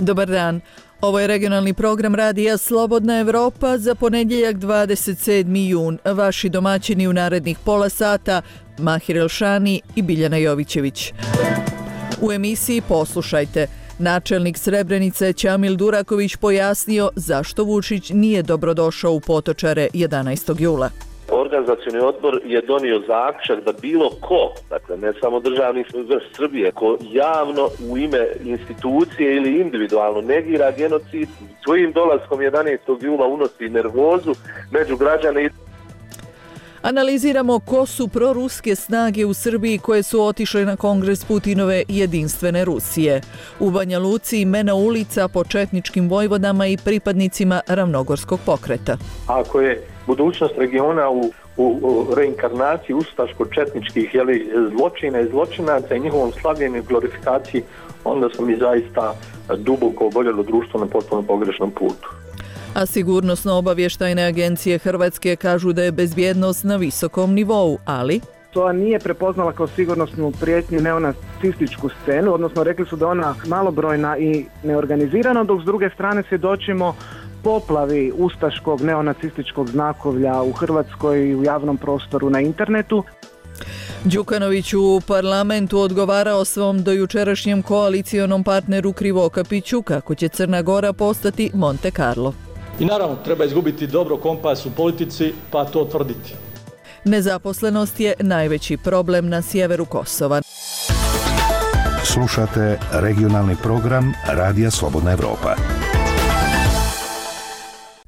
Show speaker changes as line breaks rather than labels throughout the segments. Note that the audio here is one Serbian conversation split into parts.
Dobar dan. Ovo je regionalni program Radija Slobodna Evropa za ponedjeljak 27. jun. Vaši domaćini u narednih pola sata, Mahir Elšani i Biljana Jovićević. U emisiji poslušajte. Načelnik Srebrenice Ćamil Duraković pojasnio zašto Vučić nije dobrodošao u Potočare 11. jula.
Organizacioni odbor je donio zaključak da bilo ko, dakle ne samo državni vrh Srbije, ko javno u ime institucije ili individualno negira genocid, svojim dolaskom 11. jula unosi nervozu među građane.
Analiziramo ko su proruske snage u Srbiji koje su otišle na kongres Putinove jedinstvene Rusije. U Banja Luci imena ulica po četničkim vojvodama i pripadnicima ravnogorskog pokreta.
Ako je budućnost regiona u reinkarnaciji ustaško-četničkih zločina i zločinaca i njihovom slavljenju i glorifikaciji, onda smo mi zaista duboko oboljelo društvo na potpuno pogrešnom putu.
A sigurnosno-obavještajne agencije Hrvatske kažu da je bezbjednost na visokom nivou, ali
to nije prepoznala kao sigurnosnu prijetnju neonacističku scenu, odnosno rekli su da ona malobrojna i neorganizirana, dok s druge strane svjedočimo poplavi ustaškog neonacističkog znakovlja u Hrvatskoj i u javnom prostoru na internetu.
Đukanović u parlamentu odgovarao svom dojučerašnjem koalicionom partneru Krivokapiću kako će Crna Gora postati Monte Carlo.
I naravno, treba izgubiti dobro kompas u politici, pa to tvrditi.
Nezaposlenost je najveći problem na sjeveru Kosova.
Slušate regionalni program Radija Slobodna Evropa.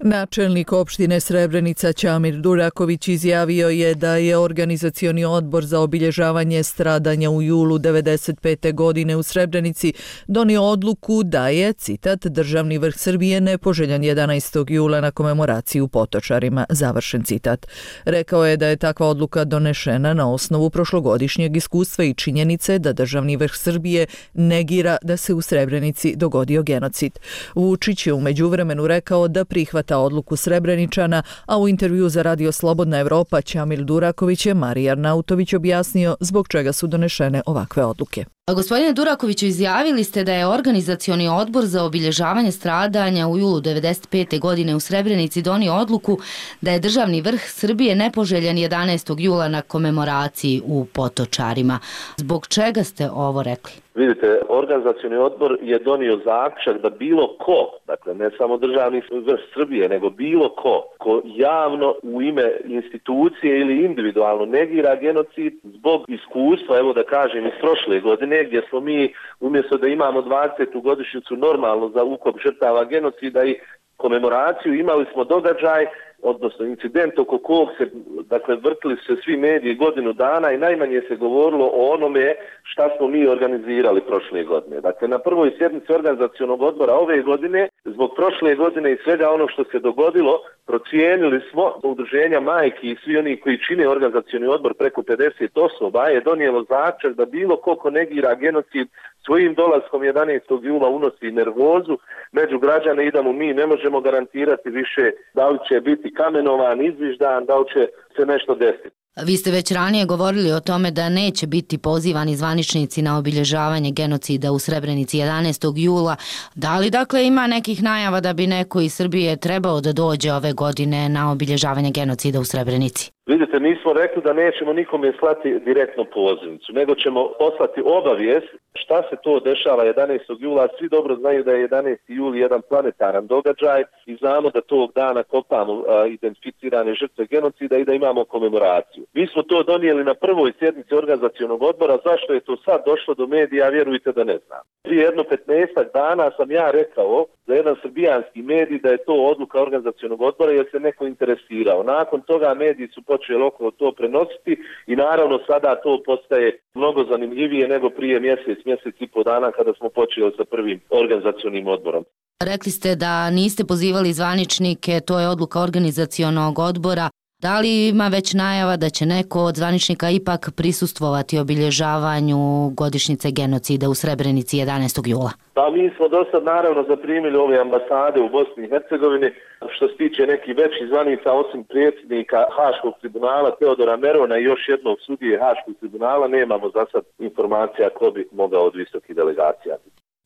Načelnik opštine Srebrenica Ćamil Duraković izjavio je da je organizacioni odbor za obilježavanje stradanja u julu 1995. godine u Srebrenici donio odluku da je, citat, državni vrh Srbije nepoželjan 11. jula na komemoraciji u Potočarima, završen citat. Rekao je da je takva odluka donešena na osnovu prošlogodišnjeg iskustva i činjenice da državni vrh Srbije negira da se u Srebrenici dogodio genocid. Vučić je u međuvremenu rekao da prihvata odluku Srebreničana, a u intervju za Radio Slobodna Evropa Ćamil Duraković je Marija Arnautović objasnio zbog čega su donešene ovakve odluke.
Gospodine Durakoviću, izjavili ste da je organizacioni odbor za obilježavanje stradanja u julu 1995. godine u Srebrenici donio odluku da je državni vrh Srbije nepoželjan 11. jula na komemoraciji u Potočarima. Zbog čega ste ovo rekli?
Vidite, organizacioni odbor je donio zaključak da bilo ko, dakle ne samo državni vrh Srbije, nego bilo ko javno u ime institucije ili individualno negira genocid zbog iskustva, evo da kažem, iz prošle godine, gdje smo mi, umjesto da imamo 20. godišnjicu normalno za ukop žrtava genocida i komemoraciju, imali smo događaj, odnosno incident oko kog se, dakle, vrtili se svi mediji godinu dana i najmanje se govorilo o onome šta smo mi organizirali prošle godine. Dakle, na prvoj sjednici organizacionog odbora ove godine, zbog prošle godine i svega ono što se dogodilo, procijenili smo, udruženja majki i svi oni koji čine organizacioni odbor preko 50 osoba je donijelo zaključak da bilo ko negira genocid svojim dolaskom 11. jula unosi nervozu među građane i da mu mi ne možemo garantirati više da li će biti kamenovan, izviždan, da li će se nešto desiti.
Vi ste već ranije govorili o tome da neće biti pozivani zvaničnici na obilježavanje genocida u Srebrenici 11. jula. Da li dakle ima nekih najava da bi neko iz Srbije trebao da dođe ove godine na obilježavanje genocida u Srebrenici?
Vidite, mi smo rekli da nećemo nikome slati direktno pozivnicu, nego ćemo poslati obavijest šta se to dešava 11. jula. Svi dobro znaju da je 11. juli jedan planetaran događaj i znamo da tog dana kopamo identificirane žrtve genocida i da imamo komemoraciju. Mi smo to donijeli na prvoj sjednici organizacionog odbora. Zašto je to sad došlo do medija, vjerujte da ne znam. Prije jedno 15 dana sam ja rekao za jedan srbijanski medij da je to odluka organizacionog odbora jer se neko interesirao. Nakon toga mediji su počeli okolo to prenositi i naravno sada to postaje mnogo zanimljivije nego prije mjesec i po dana kada smo počeli sa prvim organizacionim odborom.
Rekli ste da niste pozivali zvaničnike, to je odluka organizacionog odbora. Da li ima već najava da će neko od zvaničnika ipak prisustvovati obilježavanju godišnjice genocida u Srebrenici 11. jula?
Pa mi smo do sad naravno zaprimili ove ambasade u Bosni i Hercegovini. Što se tiče nekih većih zvanica, osim predsjednika Haškog tribunala Teodora Merona i još jednog sudije Haškog tribunala, nemamo za sad informacija ko bi mogao od visokih delegacija.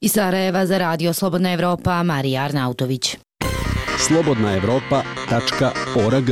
Iz Sarajeva za Radio Slobodna Evropa, Marija Arnautović.
slobodnaevropa.org.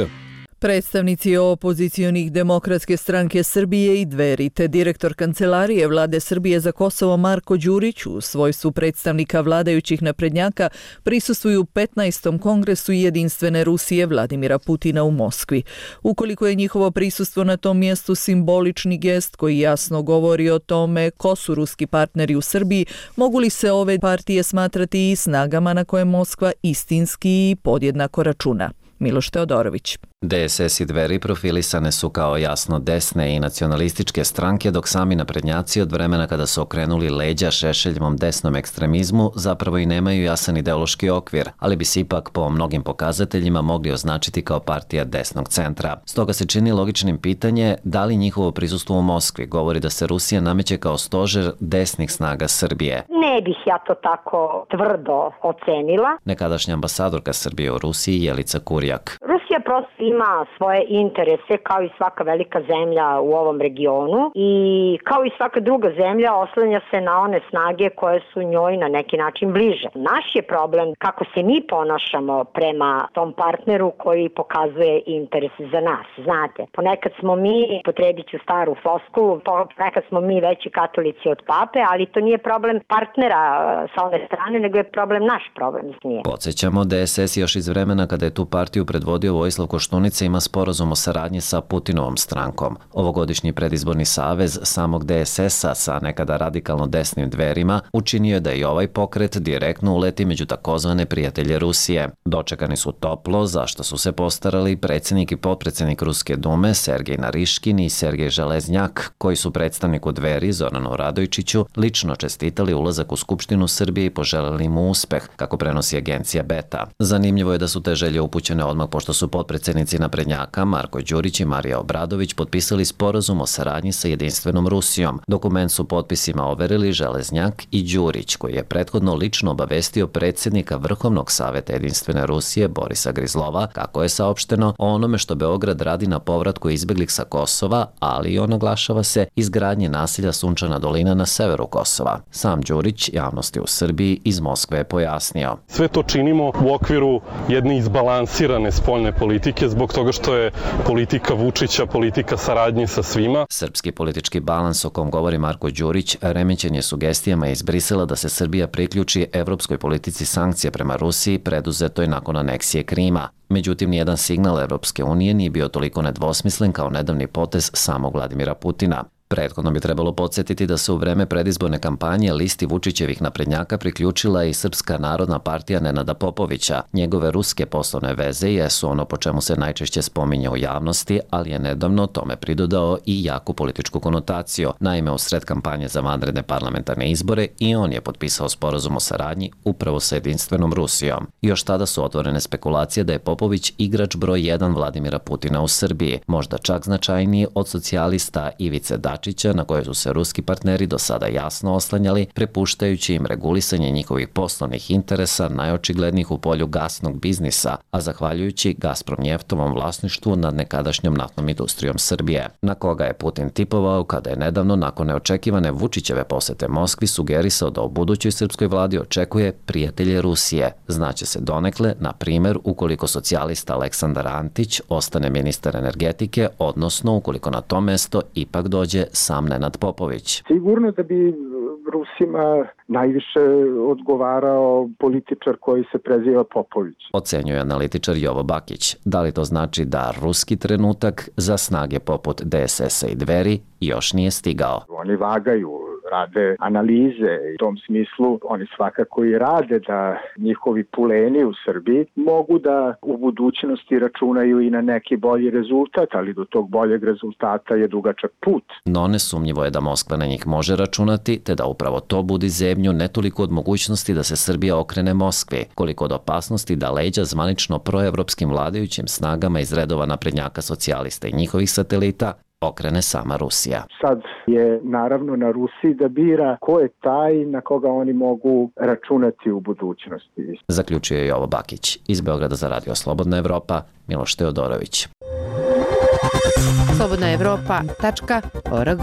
Predstavnici opozicionih Demokratske stranke Srbije i Dveri te direktor Kancelarije Vlade Srbije za Kosovo Marko Đurić u svojstvu predstavnika vladajućih naprednjaka prisustvuju 15. kongresu Jedinstvene Rusije Vladimira Putina u Moskvi. Ukoliko je njihovo prisustvo na tom mjestu simbolični gest koji jasno govori o tome ko su ruski partneri u Srbiji, mogu li se ove partije smatrati i snagama na koje Moskva istinski i podjednako računa? Miloš Teodorović.
DSS i Dveri profilisane su kao jasno desne i nacionalističke stranke, dok sami naprednjaci od vremena kada su okrenuli leđa Šešeljevom desnom ekstremizmu zapravo i nemaju jasan ideološki okvir, ali bi se ipak po mnogim pokazateljima mogli označiti kao partija desnog centra. Stoga se čini logičnim pitanje da li njihovo prisustvo u Moskvi govori da se Rusija nameće kao stožer desnih snaga Srbije.
Ne bih ja to tako tvrdo ocenila.
Nekadašnja ambasadorka Srbije u Rusiji Jelica Kurjak.
Rusija prosto ima svoje interese kao i svaka velika zemlja u ovom regionu i kao i svaka druga zemlja oslanja se na one snage koje su njoj na neki način bliže. Naš je problem kako se mi ponašamo prema tom partneru koji pokazuje interes za nas. Znate, ponekad smo mi, potrebit ću staru floskulu, ponekad smo mi veći katolici od pape, ali to nije problem partnera sa one strane, nego je problem naš problem.
Podsjećamo, DSS još iz vremena kada je tu partiju predvodio Vojislav Koštunica ima sporazum o saradnji sa Putinovom strankom. Ovogodišnji predizborni savez samog DSS-a sa nekada radikalno desnim Dverima učinio je da i ovaj pokret direktno uleti među takozvane prijatelje Rusije. Dočekani su toplo, za što su se postarali predsjednik i potpredsjednik Ruske dume Sergej Nariškin i Sergej Železnjak, koji su predstavniku Dveri Zoranu Radojčiću lično čestitali ulazak u Skupštinu Srbije i poželeli mu uspeh, kako prenosi agencija Beta. Zanimljivo je da su te želje upućene odmah pošto su potpredsjednici naprednjaka Marko Đurić i Marija Obradović potpisali sporazum o saradnji sa Jedinstvenom Rusijom. Dokument su potpisima overili Železnjak i Đurić, koji je prethodno lično obavestio predsjednika Vrhovnog saveta Jedinstvene Rusije Borisa Grizlova, kako je saopšteno, o onome što Beograd radi na povratku izbeglih sa Kosova, ali i naglašava se izgradnje naselja Sunčana dolina na severu Kosova. Sam Đurić javnosti u Srbiji iz Moskve je pojasnio.
Sve to činimo u okviru jedne izbalansirane spoljne politike zbog toga što je politika Vučića politika saradnje sa svima.
Srpski politički balans o kom govori Marko Đurić remećen je sugestijama iz Brisela da se Srbija priključi evropskoj politici sankcija prema Rusiji preduzetoj nakon aneksije Krima. Međutim, nijedan signal Evropske unije nije bio toliko nedvosmislen kao nedavni potez samog Vladimira Putina. Prethodno bi trebalo podsjetiti da se u vreme predizborne kampanje listi Vučićevih naprednjaka priključila i Srpska narodna partija Nenada Popovića. Njegove ruske poslovne veze jesu ono po čemu se najčešće spominje u javnosti, ali je nedavno tome pridodao i jaku političku konotaciju. Naime, u sred kampanje za vanredne parlamentarne izbore i on je potpisao sporazum o saradnji upravo sa Jedinstvenom Rusijom. Još tada su otvorene spekulacije da je Popović igrač broj 1 Vladimira Putina u Srbiji, možda čak značajniji od socijalista Ivice Dačića, na koje su se ruski partneri do sada jasno oslanjali, prepuštajući im regulisanje njihovih poslovnih interesa najočiglednijih u polju gasnog biznisa, a zahvaljujući Gazpromnjeftovom vlasništvu nad nekadašnjom naftnom industrijom Srbije, na koga je Putin tipovao kada je nedavno nakon neočekivane Vučićeve posete Moskvi sugerisao da u budućoj srpskoj vladi očekuje prijatelje Rusije. Znaće se donekle, na primjer, ukoliko socijalista Aleksandar Antić ostane ministar energetike, odnosno ukoliko na to mesto ipak dođe sam Nenad Popović.
Sigurno da bi Rusima najviše odgovarao političar koji se preziva Popović.
Ocenjuje analitičar Jovo Bakić. Da li to znači da ruski trenutak za snage poput DSS-a i Dveri još nije stigao?
Oni vagaju, rade analize i u tom smislu oni svakako i rade da njihovi puleni u Srbiji mogu da u budućnosti računaju i na neki bolji rezultat, ali do tog boljeg rezultata je dugačak put.
No nesumnjivo je da Moskva na njih može računati, te da upravo to budi zebnju ne toliko od mogućnosti da se Srbija okrene Moskvi, koliko od opasnosti da leđa zvanično proevropskim vladajućim snagama iz redova naprednjaka socijalista i njihovih satelita okrene sama Rusija.
Sad je naravno na Rusiji da bira ko je taj na koga oni mogu računati u budućnosti.
Zaključio je Jovo Bakić. Iz Beograda za Radio Slobodna Evropa, Miloš Teodorović.
slobodnaevropa.org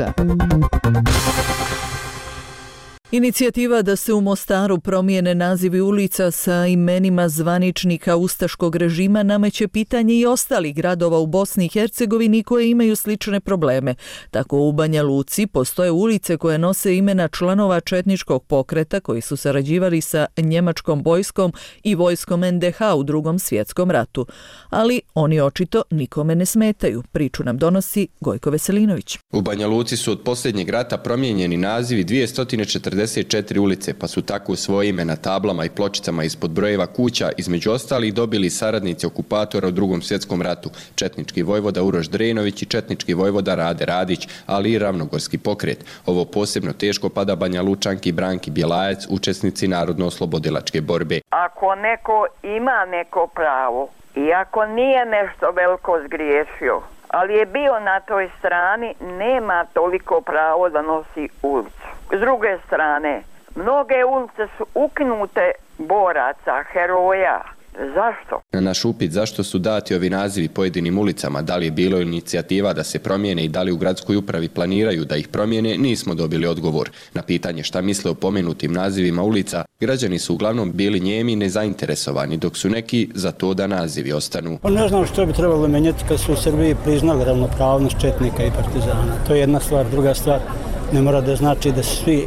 Inicijativa da se u Mostaru promijene nazivi ulica sa imenima zvaničnika ustaškog režima nameće pitanje i ostalih gradova u Bosni i Hercegovini koje imaju slične probleme. Tako u Banja Luci postoje ulice koje nose imena članova četničkog pokreta koji su sarađivali sa njemačkom vojskom i vojskom NDH u Drugom svjetskom ratu. Ali oni očito nikome ne smetaju. Priču nam donosi Gojko Veselinović.
U Banja Luci su od posljednjeg rata promijenjeni nazivi 244 ulice, pa su tako svoje ime na tablama i pločicama ispod brojeva kuća između ostalih dobili saradnici okupatora u Drugom svjetskom ratu, četnički vojvoda Uroš Drenović i četnički vojvoda Rade Radić, ali i ravnogorski pokret. Ovo posebno teško pada Banja Lučanki Branki Bjelajac, učesnici narodno-oslobodilačke borbe.
Ako neko ima neko pravo i ako nije nešto veliko zgriješio, ali je bio na toj strani, nema toliko pravo da nosi ulicu. S druge strane, mnoge ulice su ukinute boraca, heroja. Zašto?
Na naš upit zašto su dati ovi nazivi pojedinim ulicama, da li je bilo inicijativa da se promijene i da li u gradskoj upravi planiraju da ih promijene, nismo dobili odgovor. Na pitanje šta misle o pomenutim nazivima ulica, građani su uglavnom bili njemi i nezainteresovani, dok su neki za to da nazivi ostanu.
Ne znam što bi trebalo menjati kad su u Srbiji priznali ravnopravnost četnika i partizana. To je jedna stvar. Druga stvar, ne mora da znači da su svi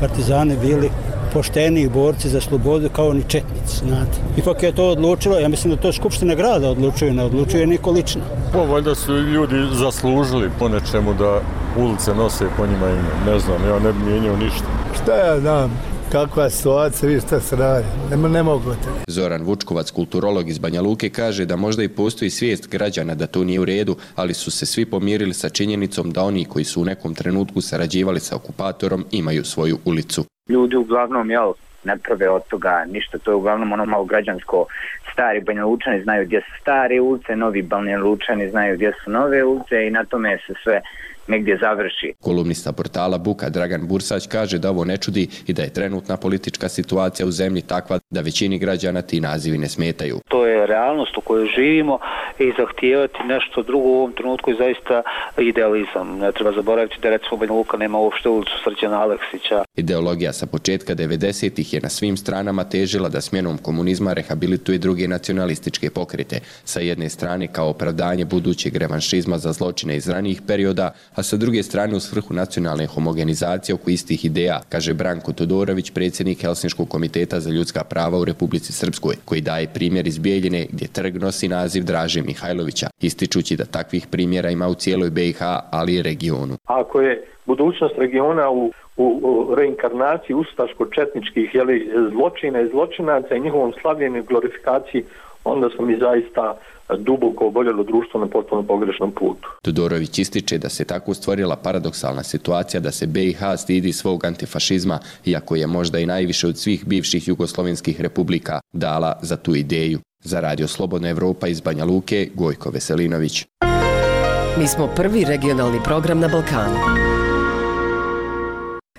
partizani bili pošteni borci za slobodu kao ni četnici, znate. Ipak je to odlučilo, ja mislim da to Skupština grada odlučuje, ne odlučuje niko lično.
Valjda su ljudi zaslužili po nečemu da ulice nose po njima ime. Ne znam, ja ne bi mijenjao ništa.
Šta ja znam? Kakva situacija, vi šta se radi? Ne mogu te.
Zoran Vučkovac, kulturolog iz Banja Luke, kaže da možda i postoji svijest građana da to nije u redu, ali su se svi pomirili sa činjenicom da oni koji su u nekom trenutku sarađivali sa okupatorom imaju svoju ulicu.
Ljudi uglavnom, ne prave od toga ništa, to je uglavnom ono malo građansko. Stari Banja Lučani znaju gdje su stare ulice, novi Banja Lučani znaju gdje su nove ulice i na tome se sve negdje završi.
Kolumnista portala Buka Dragan Bursać kaže da ovo ne čudi i da je trenutna politička situacija u zemlji takva da većini građana ti nazivi ne smetaju.
To je realnost u kojoj živimo i zahtijevati nešto drugo u ovom trenutku je zaista idealizam. Ne treba zaboraviti da recimo Banja Luka nema uopšte ulicu Srđana Aleksića.
Ideologija sa početka 90-ih je na svim stranama težila da smjenom komunizma rehabilituje druge nacionalističke pokrete. Sa jedne strane kao opravdanje budućeg revanšizma za zločine iz ranijih perioda, a sa druge strane u svrhu nacionalne homogenizacije oko istih ideja, kaže Branko Todorović, predsjednik Helsinškog komiteta za ljudska prava u Republici Srpskoj, koji daje primjer iz Bijeljine gdje trg nosi naziv Draže Mihajlovića, ističući da takvih primjera ima u cijeloj BiH, ali i regionu.
Ako je budućnost regiona u reinkarnaciji ustaško-četničkih zločina i zločinaca i njihovom slavljenju i glorifikaciji, onda smo mi zaista duboko oboljelo društvo na potpuno pogrešnom putu.
Todorović ističe da se tako stvorila paradoksalna situacija da se BiH stidi svog antifašizma, iako je možda i najviše od svih bivših jugoslovenskih republika dala za tu ideju. Za Radio Slobodna Evropa iz Banja Luke, Gojko Veselinović.
Mi smo prvi regionalni program na Balkanu.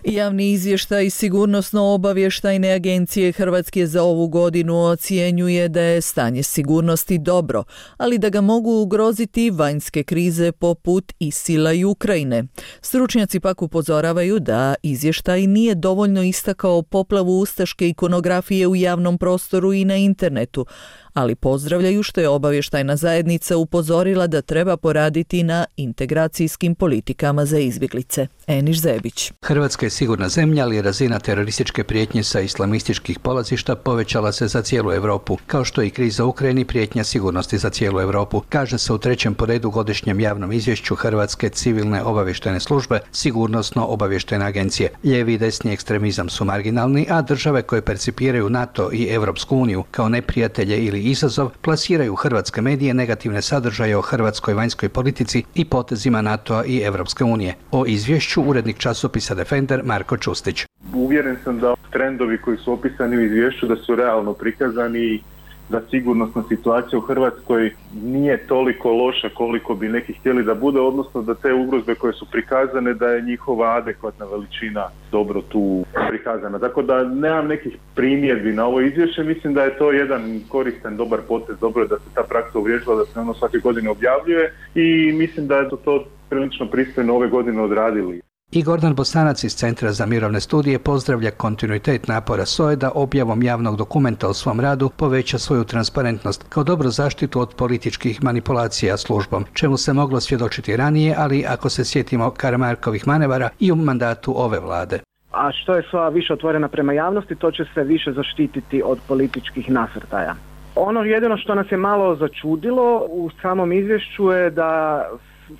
Javni izvještaj Sigurnosno-obavještajne agencije Hrvatske za ovu godinu ocjenjuje da je stanje sigurnosti dobro, ali da ga mogu ugroziti vanjske krize poput ISIL-a i Ukrajine. Stručnjaci pak upozoravaju da izvještaj nije dovoljno istakao poplavu ustaške ikonografije u javnom prostoru i na internetu, ali pozdravljaju što je obavještajna zajednica upozorila da treba poraditi na integracijskim politikama za izbjeglice. Eniš Zebić.
Hrvatska je sigurna zemlja, ali razina terorističke prijetnje sa islamističkih polazišta povećala se za cijelu Europu, kao što i kriza u Ukrajini prijetnja sigurnosti za cijelu Europu, kaže se u trećem po redu godišnjem javnom izvješću Hrvatske civilne obavještajne službe Sigurnosno-obavještajne agencije. Lijevi i desni ekstremizam su marginalni, a države koje percipiraju NATO i Europsku uniju kao neprijatelje ili izazov plasiraju hrvatske medije negativne sadržaje o hrvatskoj vanjskoj politici i potezima NATO-a i Europske unije. O izvješću urednik časopisa Defender Marko Čustić.
Uvjeren sam da trendovi koji su opisani u izvješću da su realno prikazani i da sigurnosna situacija u Hrvatskoj nije toliko loša koliko bi neki htjeli da bude, odnosno da te ugrozbe koje su prikazane, da je njihova adekvatna veličina dobro tu prikazana. Tako da nemam nekih primjedbi na ovo izvješće, mislim da je to jedan koristan, dobar potez, dobro je da se ta praksa uvriježila, da se ono svake godine objavljuje i mislim da je to prilično pristojno ove godine odradili.
I Gordan Bosanac iz Centra za mirovne studije pozdravlja kontinuitet napora SOA-e da objavom javnog dokumenta o svom radu poveća svoju transparentnost kao dobru zaštitu od političkih manipulacija službom, čemu se moglo svjedočiti ranije, ali ako se sjetimo Karamarkovih manevara i u mandatu ove vlade.
A što je SOA više otvorena prema javnosti, to će se više zaštititi od političkih nasrtaja. Ono jedino što nas je malo začudilo u samom izvješću je da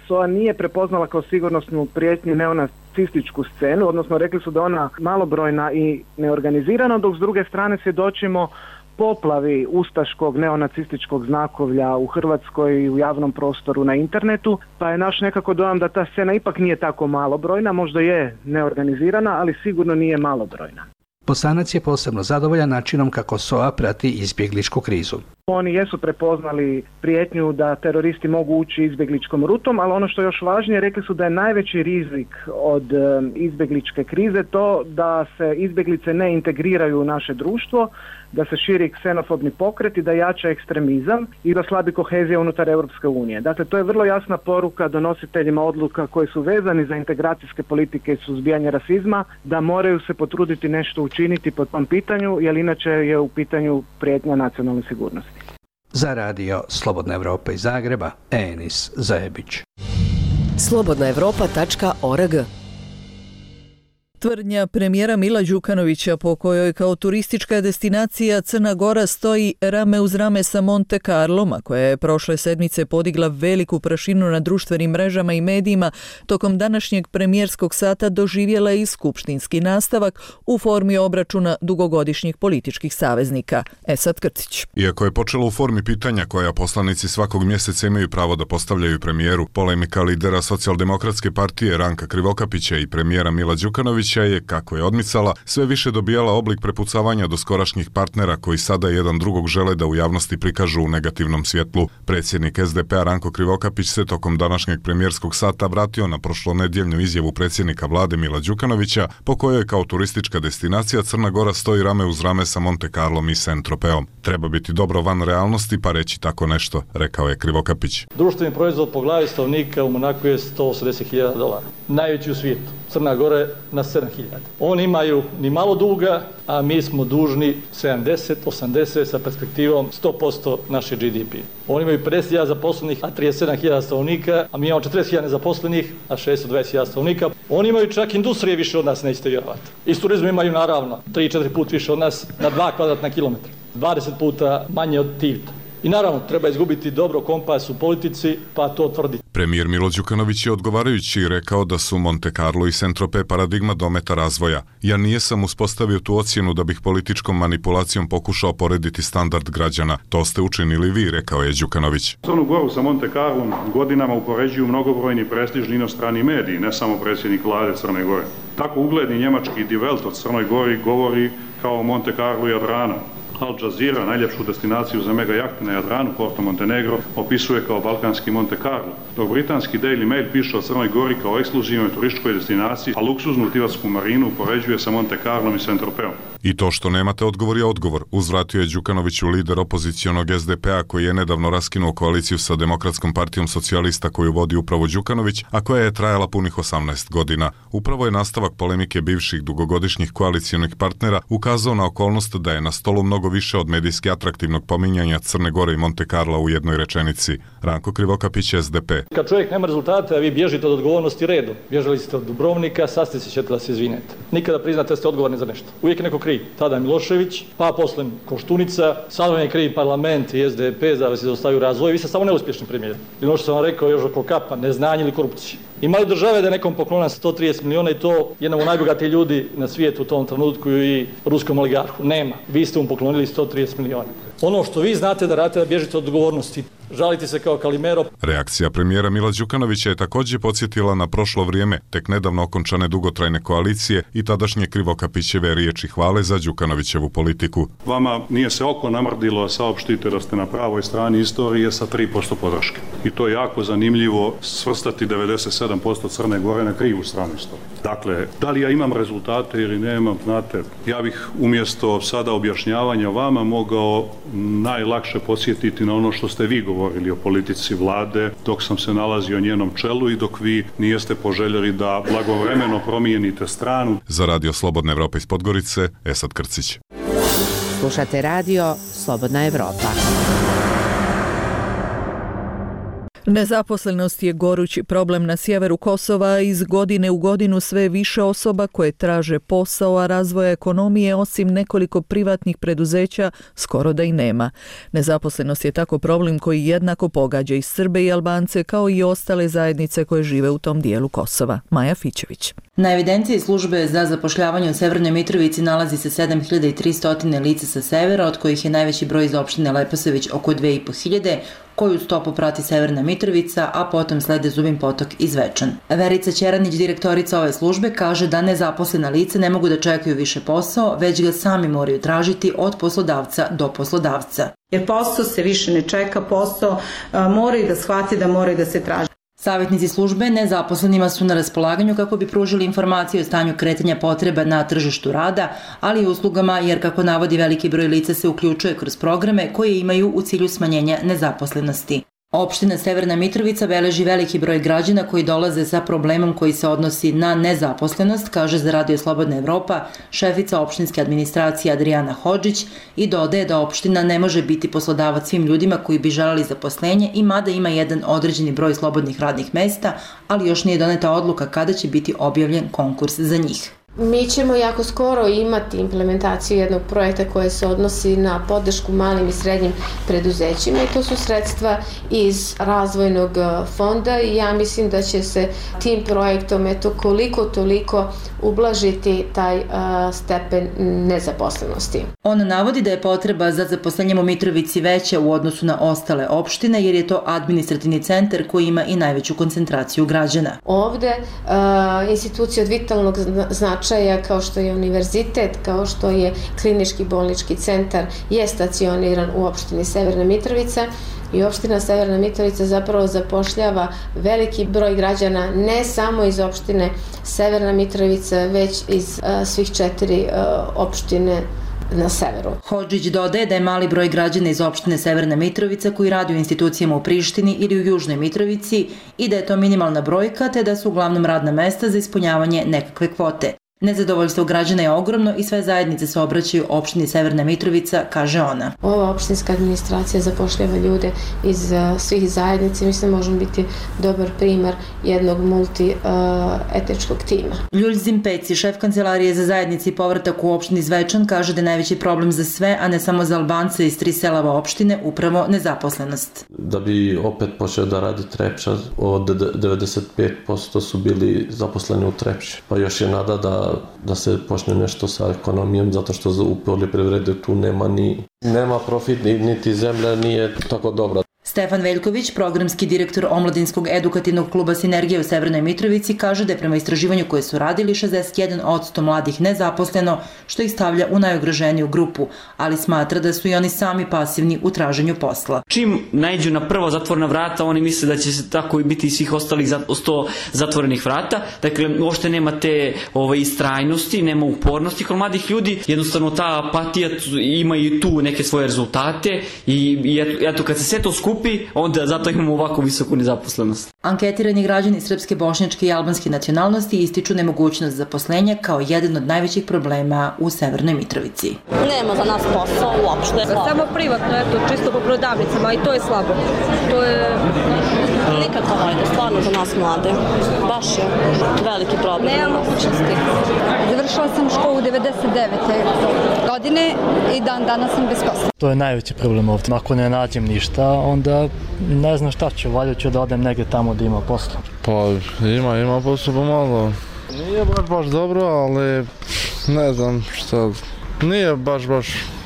SOA nije prepoznala kao sigurnosnu prijetnju neonacističku scenu, odnosno rekli su da ona malobrojna i neorganizirana, dok s druge strane svjedočimo poplavi ustaškog neonacističkog znakovlja u Hrvatskoj i u javnom prostoru na internetu, pa je naš nekako dojam da ta scena ipak nije tako malobrojna, možda je neorganizirana, ali sigurno nije malobrojna.
Bosanac je posebno zadovoljan načinom kako SOA prati izbjegličku krizu.
Oni jesu prepoznali prijetnju da teroristi mogu ući izbjegličkom rutom, ali ono što je još važnije, rekli su da je najveći rizik od izbjegličke krize to da se izbjeglice ne integriraju u naše društvo, da se širi ksenofobni pokret i da jača ekstremizam i da slabi kohezija unutar Europske unije. Dakle, to je vrlo jasna poruka donositeljima odluka koji su vezani za integracijske politike i suzbijanje rasizma, da moraju se potruditi nešto učiniti po tom pitanju, jer inače je u pitanju prijetnja nacionalne sigurnosti.
Za radio Slobodna Evropa iz Zagreba, Enis Zajebić.
slobodnaevropa.org.
Tvrdnja premijera Mila Đukanovića po kojoj kao turistička destinacija Crna Gora stoji rame uz rame sa Monte Carlom, a koja je prošle sedmice podigla veliku prašinu na društvenim mrežama i medijima, tokom današnjeg premijerskog sata doživjela je i skupštinski nastavak u formi obračuna dugogodišnjih političkih saveznika. Esad Krcić.
Iako je počelo u formi pitanja koja poslanici svakog mjeseca imaju pravo da postavljaju premijeru, polemika lidera Socijaldemokratske partije Ranka Krivokapića i premijera Mila Đukanovića je, kako je odmicala, sve više dobijala oblik prepucavanja doskorašnjih partnera koji sada jedan drugog žele da u javnosti prikažu u negativnom svjetlu. Predsjednik SDP-a Ranko Krivokapić se tokom današnjeg premijerskog sata vratio na prošlonedjeljnu izjavu predsjednika vlade Mila Đukanovića, po kojoj kao turistička destinacija Crna Gora stoji rame uz rame sa Monte Carlom i Saint-Tropeom. Treba biti dobro van realnosti pa reći tako nešto, rekao je Krivokapić.
Društveni proizvod po glavi stanovnika u Monaku je $180.000, najveći u svijetu. Crna Gora je na 7.000. Oni imaju ni malo duga, a mi smo dužni 70, 80 sa perspektivom 100% naše GDP. Oni imaju 50.000 zaposlenih, a 37.000 stanovnika, a mi imamo 40.000 nezaposlenih, a 620.000 stanovnika. Oni imaju čak industrije više od nas, nećete vjerovati. I s turizmu imaju naravno 3-4 puta više od nas na 2 kvadratna kilometra. 20 puta manje od Tivita. I naravno, treba izgubiti dobro kompas u politici, pa to tvrditi.
Premijer Milo Đukanović je odgovarajući rekao da su Monte Carlo i Saint-Tropez paradigma dometa razvoja. Ja nijesam uspostavio tu ocjenu da bih političkom manipulacijom pokušao porediti standard građana. To ste učinili vi, rekao je Đukanović.
Crnu Goru sa Monte Carlom godinama upoređuju mnogobrojni prestižni inostrani mediji, ne samo predsjednik vlade Crne Gore. Tako ugledni njemački Die Welt od Crnoj Gori govori kao Monte Carlo i Jadranu. Al Jazeera, najljepšu destinaciju za mega jahte na Jadranu, Porto Montenegro, opisuje kao balkanski Monte Carlo. Dok britanski Daily Mail piše o Crnoj Gori kao ekskluzivnoj turističkoj destinaciji, a luksuznu tivarsku marinu upoređuje sa Monte Carlom i Saint-Tropeom.
I to što nemate odgovor je odgovor, uzvratio je Đukanoviću lider opozicionog SDP-a koji je nedavno raskinuo koaliciju sa Demokratskom partijom socijalista koju vodi upravo Đukanović, a koja je trajala punih 18 godina. Upravo je nastavak polemike bivših dugogodišnjih koalicionih partnera ukazao na okolnost da je na stolu mnogo više od medijski atraktivnog pominjanja Crne Gore i Monte Carla u jednoj rečenici. Ranko Krivokapić, SDP.
Kad čovjek nema rezultate, a vi bježite od odgovornosti redom. Bježali ste od Dubrovnika, sad ćete da se izvinete. Nikada priznate da ste odgovorni za nešto. Uvijek je neko kriv. Tada Milošević, pa posle Koštunica, sad vam je kriv parlament i SDP da se zaustavaju razvoj. Vi ste samo neuspješni premijer. I ono što sam vam rekao još oko kapa, neznanje ili korupcije. Imali države da je nekom poklona 130 miliona i to jednom od najbogatijih ljudi na svijetu u tom trenutku i ruskom oligarhu. Nema. Vi ste mu poklonili 130 miliona. Ono što vi znate da radite da bježite od odgovornosti. Žalite se kao Kalimero.
Reakcija premijera Mila Đukanovića je također podsjetila na prošlo vrijeme, tek nedavno okončane dugotrajne koalicije i tadašnje Krivokapićeve riječi hvale za Đukanovićevu politiku.
Vama nije se oko namrdilo, a saopštite da ste na pravoj strani istorije sa 3% podrške. I to je jako zanimljivo svrstati 97% Crne Gore na krivu stranu istorije. Dakle, da li ja imam rezultate ili nemam, znate, ja bih umjesto sada objašnjavanja vama mogao najlakše podsjetiti na ono što ste vi govorili o politici vlade dok sam se nalazio na njenom čelu i dok vi nijeste poželjeli da blagovremeno promijenite stranu.
Za Radio Slobodna Evropa iz Podgorice, Esad Krcić.
Slušate radio Slobodna Evropa.
Nezaposlenost je gorući problem na sjeveru Kosova. Iz godine u godinu sve više osoba koje traže posao, a razvoja ekonomije osim nekoliko privatnih preduzeća skoro da i nema. Nezaposlenost je tako problem koji jednako pogađa i Srbe i Albance kao i ostale zajednice koje žive u tom dijelu Kosova. Maja Fićević.
Na evidenciji službe za zapošljavanje u Severnoj Mitrovici nalazi se 7300 lica sa severa, od kojih je najveći broj iz opštine Leposavić oko 2500, koju stopu prati Severna Mitrovica, a potom slede Zubin Potok i Zvečan. Verica Ćeranić, direktorica ove službe, kaže da nezaposlena lica ne mogu da čekaju više posao, već ga sami moraju tražiti od poslodavca do poslodavca.
Jer posao se više ne čeka, posao moraju da shvati da moraju da se traži.
Savjetnici službe nezaposlenima su na raspolaganju kako bi pružili informacije o stanju kretanja potreba na tržištu rada, ali i uslugama, jer kako navodi veliki broj lica se uključuje kroz programe koje imaju u cilju smanjenja nezaposlenosti. Opština Severna Mitrovica beleži veliki broj građana koji dolaze sa problemom koji se odnosi na nezaposlenost, kaže za Radio Slobodna Evropa šefica opštinske administracije Adriana Hodžić i dodaje da opština ne može biti poslodavac svim ljudima koji bi želeli zaposlenje i mada ima jedan određeni broj slobodnih radnih mesta, ali još nije doneta odluka kada će biti objavljen konkurs za njih.
Mi ćemo jako skoro imati implementaciju jednog projekta koje se odnosi na podršku malim i srednjim preduzećima i to su sredstva iz razvojnog fonda i ja mislim da će se tim projektom koliko toliko ublažiti taj stepen nezaposlenosti.
On navodi da je potreba za zaposlenjem u Mitrovici veća u odnosu na ostale opštine jer je to administrativni centar koji ima i najveću koncentraciju građana.
Ovde institucije od vitalnog značaja kao što je univerzitet, kao što je klinički bolnički centar je stacioniran u opštini Severna Mitrovica i opština Severna Mitrovica zapravo zapošljava veliki broj građana ne samo iz opštine Severna Mitrovica, već iz svih 4 opštine na severu.
Hodžić dodaje da je mali broj građana iz opštine Severna Mitrovica koji radi u institucijama u Prištini ili u Južnoj Mitrovici i da je to minimalna brojka te da su uglavnom radna mesta za ispunjavanje nekakve kvote. Nezadovoljstvo građana je ogromno i sve zajednice se obraćaju opštini Severna Mitrovica, kaže ona.
Ova opštinska administracija zapošljava ljude iz svih zajednica i mislim možemo biti dobar primer jednog multietničkog tima.
Ljuljzim Peci, šef kancelarije za zajednici i povratak u opštini Zvečan, kaže da je najveći problem za sve, a ne samo za Albance iz 3 selava opštine, upravo nezaposlenost.
Da bi opet počeo da radi Trepča, od 95% su bili zaposleni u Trepči. Pa još je nada da se počne nešto sa ekonomijom, zato što u poljoprivredi tu nema profit, niti zemlja nije tako dobra.
Stefan Veljković, programski direktor Omladinskog edukativnog kluba Sinergija u Severnoj Mitrovici, kaže da je prema istraživanju koje su radili 61% mladih nezaposleno, što ih stavlja u najugroženiju grupu, ali smatra da su i oni sami pasivni u traženju posla.
Čim naiđu na prvo zatvorena vrata, oni misle da će se tako biti i svih ostalih 100 zatvorenih vrata. Dakle, uopšte nema te istrajnosti, nema upornosti kod mladih ljudi. Jednostavno ta apatija ima i tu neke svoje rezultate i eto kad se sve to skupi, onda zato imamo ovako visoku nezaposlenost.
Anketirani građani srpske, bošnjačke i albanske nacionalnosti ističu nemogućnost zaposlenja kao jedan od najvećih problema u Severnoj Mitrovici.
Nema za nas posao uopšte.
Samo privatno, čisto po prodavnicama i to je slabo. To je...
Nikako hajde, stvarno za nas mlade. Baš je veliki problem.
Nema mogućnosti. Završila sam školu 99. godine i danas sam bez posla.
To je najveći problem ovdje. Ako ne nađem ništa, onda ne znam šta ću, valjda ću da odem negdje tamo da ima posla.
Pa ima posla pomalo. Nije baš dobro, ali ne znam šta, nije baš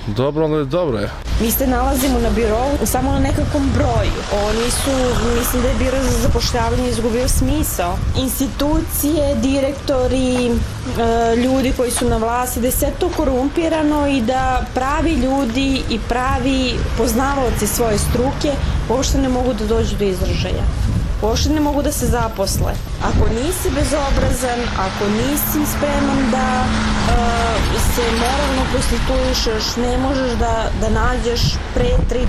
dobro, ali dobro je.
Mi se nalazimo na birovu samo na nekakvom broju. Oni su, mislim da je biro za zapošljavanje izgubio smisao. Institucije, direktori, ljudi koji su na vlasti, da je sve to korumpirano i da pravi ljudi i pravi poznavaoci svoje struke uopšte ne mogu da dođu do izražaja. uopšte ne mogu da se zaposle. Ako nisi bezobrazan, ako nisi spreman da se moralno prostituišeš, ne možeš da nađeš pre 35.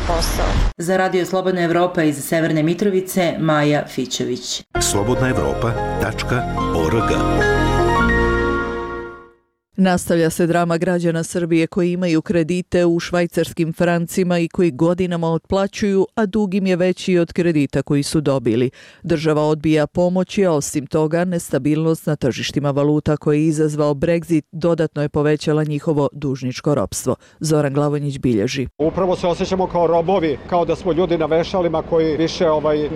posao.
Za Radio Slobodna Evropa iz Severne Mitrovice, Maja Fićević.
slobodnaevropa.org.
Nastavlja se drama građana Srbije koji imaju kredite u švajcarskim francima i koji godinama otplaćuju, a dug im je veći od kredita koji su dobili. Država odbija pomoći, a osim toga nestabilnost na tržištima valuta koji je izazvao Brexit dodatno je povećala njihovo dužničko ropstvo. Zoran Glavonjić bilježi.
Upravo se osjećamo kao robovi, kao da smo ljudi na vešalima koji više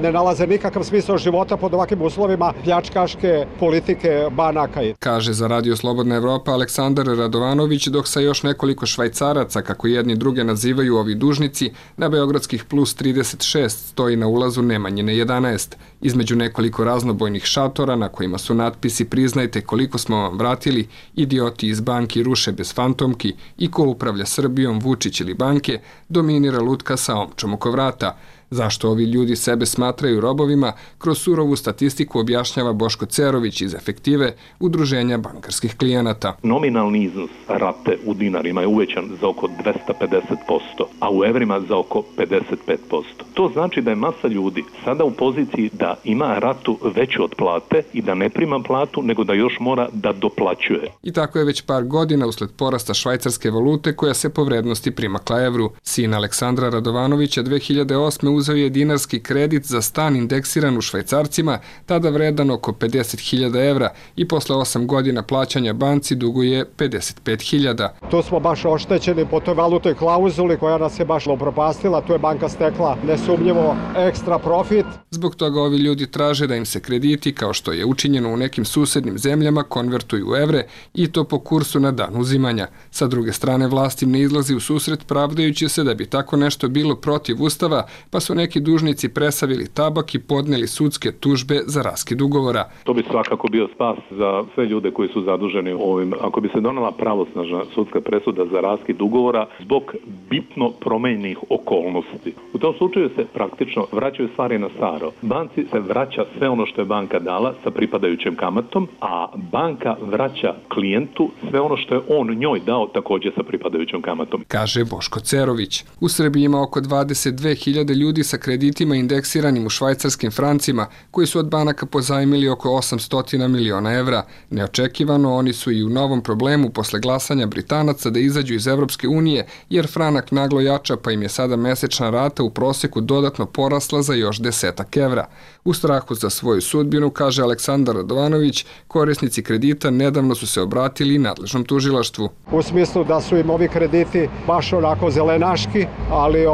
ne nalaze nikakav smisao života pod ovakvim uslovima pljačkaške politike banaka.
Kaže za Radio Slobodna Evropa Aleksandar Radovanović, dok sa još nekoliko švajcaraca, kako jedni druge nazivaju ovi dužnici, na beogradskih plus 36 stoji na ulazu Nemanjine 11. Između nekoliko raznobojnih šatora na kojima su natpisi "Priznajte koliko smo vam vratili", "Idioti iz banki ruše bez fantomki" i "Ko upravlja Srbijom, Vučić ili banke", dominira lutka sa omčom oko vrata. Zašto ovi ljudi sebe smatraju robovima, kroz surovu statistiku objašnjava Boško Cerović iz Efektive, Udruženja bankarskih klijenata.
Nominalni iznos rate u dinarima je uvećan za oko 250%, a u evrima za oko 55%. To znači da je masa ljudi sada u poziciji da ima ratu veću od plate i da ne prima platu, nego da još mora da doplaćuje.
I tako je već par godina usled porasta švajcarske valute koja se po vrednosti primakla evru. Sin Aleksandra Radovanovića 2008. uzeo je dinarski kredit za stan indeksiran u švajcarcima, tada vredan oko 50.000 evra i posle 8 godina plaćanja banci duguje 55.000.
Tu smo baš oštećeni po toj valutnoj klauzuli koja nas je baš upropastila, tu je banka stekla nesumnjivo ekstra profit.
Zbog toga ovi ljudi traže da im se krediti, kao što je učinjeno u nekim susednim zemljama, konvertuju u evre i to po kursu na dan uzimanja. Sa druge strane, vlast im ne izlazi u susret pravdajući se da bi tako nešto bilo protiv Ustava, pa su neki dužnici presavili tabak i podneli sudske tužbe za raskid ugovora.
To bi svakako bio spas za sve ljude koji su zaduženi ovim. Ako bi se donela pravosnažna sudska presuda za raskid ugovora zbog bitno promenjenih okolnosti. U tom slučaju se praktično vraćaju stvari na staro. Banci se vraća sve ono što je banka dala sa pripadajućim kamatom, a banka vraća klijentu sve ono što je on njoj dao također sa pripadajućim kamatom.
Kaže Boško Cerović. U Srbiji ima oko 22.000 ljudi sa kreditima indeksiranim u švajcarskim francima, koji su od banaka pozajmili oko 800 miliona evra. Neočekivano, oni su i u novom problemu posle glasanja Britanaca da izađu iz Evropske unije, jer franak naglo jača, pa im je sada mesečna rata u proseku dodatno porasla za još 10 evra. U strahu za svoju sudbinu, kaže Aleksandar Radovanović, korisnici kredita nedavno su se obratili nadležnom tužilaštvu.
U smislu da su im ovi krediti baš onako zelenaški, ali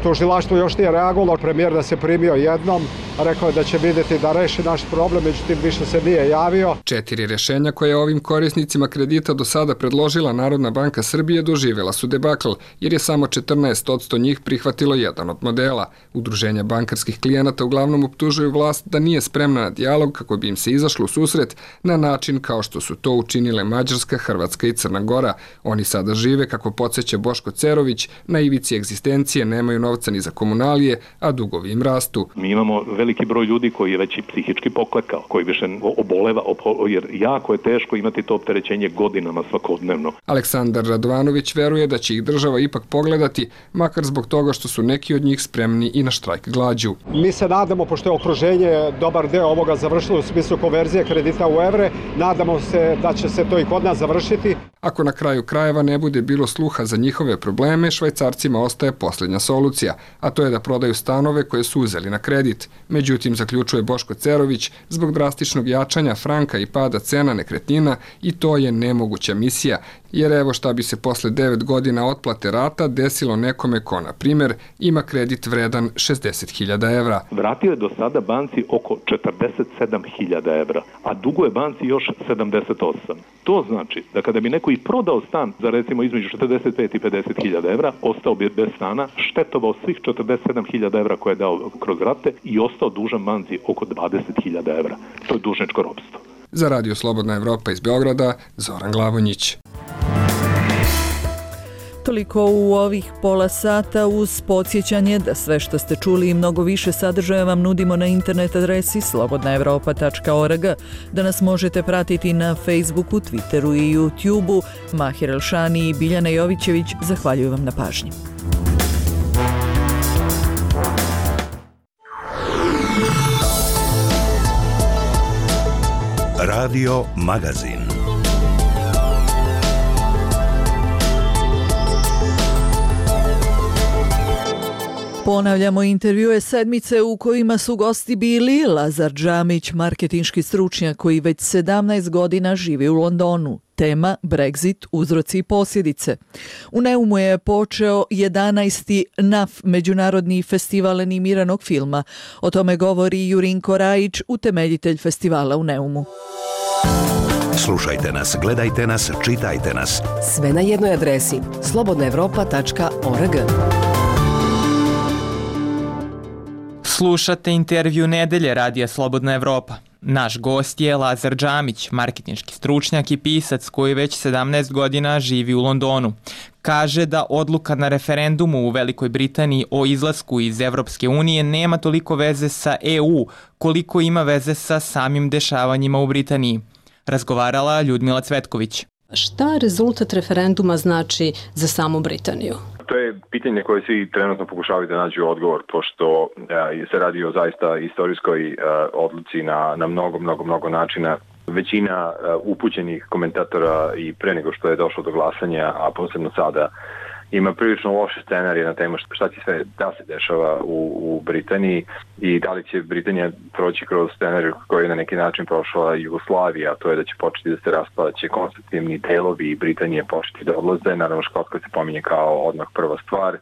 tužilaštvo još nije reagovalo. Premijer da se primio jednom, rekao je da će vidjeti da reši naš problem, međutim više se nije javio.
4 rješenja koje je ovim korisnicima kredita do sada predložila Narodna banka Srbije doživjela su debakl, jer je samo 14% njih prihvatilo jedan od modela. Udruženja bankarskih klijenata uglavnom optužuju vlast da nije spremna na dijalog kako bi im se izašlo u susret na način kao što su to učinile Mađarska, Hrvatska i Crna Gora. Oni sada žive, kako podsjeća Boško Cerović, na ivici egzistencije, nemaju novca ni za komunalije, a dugovi im rastu.
Mi imamo veliki broj ljudi koji je već i psihički poklekao, koji više oboleva, jer jako je teško imati to opterećenje godinama svakodnevno.
Aleksandar Radovanović veruje da će ih država ipak pogledati, makar zbog toga što su neki od njih spremni i na štrajk glađu.
Mi se nadamo, pošto je okruženje dobar deo ovoga završilo u smislu konverzije kredita u evre, nadamo se da će se to i kod nas završiti.
Ako na kraju krajeva ne bude bilo sluha za njihove probleme, Švajcarcima ostaje posljednja solucija, a to je da prodaju stanove koje su uzeli na kredit. Međutim, zaključuje Boško Cerović, zbog drastičnog jačanja franka i pada cena nekretnina i to je nemoguća misija, jer evo šta bi se posle 9 godina otplate rata desilo nekome ko, na primjer, ima kredit vredan 60.000 evra.
Vratio je do sada banci oko 47.000 evra, a duguje banci još 78. To znači da kada bi neko i prodao stan za recimo između 45 i 50.000 evra, ostao bi bez stana, štetovao svih 47.000 evra koje je dao kroz rate i ostao dužan banci oko 20.000 evra. To je dužničko ropstvo.
Za Radio Slobodna Evropa iz Beograda, Zoran Glavonjić.
Toliko u ovih pola sata uz podsjećanje da sve što ste čuli i mnogo više sadržaja vam nudimo na internet adresi slobodnaevropa.org, da nas možete pratiti na Facebooku, Twitteru i YouTubeu. Mahir Elšani i Biljana Jovićević zahvaljuju vam na pažnji.
Radio Magazin.
Ponavljamo intervjue sedmice u kojima su gosti bili Lazar Džamić, marketinški stručnjak koji već 17 godina živi u Londonu. Tema Brexit, uzroci i posljedice. U Neumu je počeo 11. NAF, Međunarodni festival animiranog filma. O tome govori Jurinko Rajić, utemeljitelj festivala u Neumu.
Slušajte nas, gledajte nas, čitajte nas.
Sve na jednoj adresi slobodnaevropa.org.
Slušate intervju nedelje Radija Slobodna Evropa. Naš gost je Lazar Džamić, marketinški stručnjak i pisac koji već 17 godina živi u Londonu. Kaže da odluka na referendumu u Velikoj Britaniji o izlasku iz Evropske unije nema toliko veze sa EU koliko ima veze sa samim dešavanjima u Britaniji. Razgovarala Ljudmila Cvetković.
Šta rezultat referenduma znači za samu Britaniju?
To je pitanje koje svi trenutno pokušavaju da nađu odgovor, pošto se radi o zaista istorijskoj odluci na mnogo načina. Većina upućenih komentatora i pre nego što je došlo do glasanja, a posebno sada, ima prilično loše scenarije na temu šta će sve da se dešava u Britaniji i da li će Britanija proći kroz scenariju koji je na neki način prošla Jugoslavija, a to je da će početi da se raspada, će konstitutivni delovi Britanije početi da odlaze. Naravno, Škotska se pominje kao odmah prva stvar.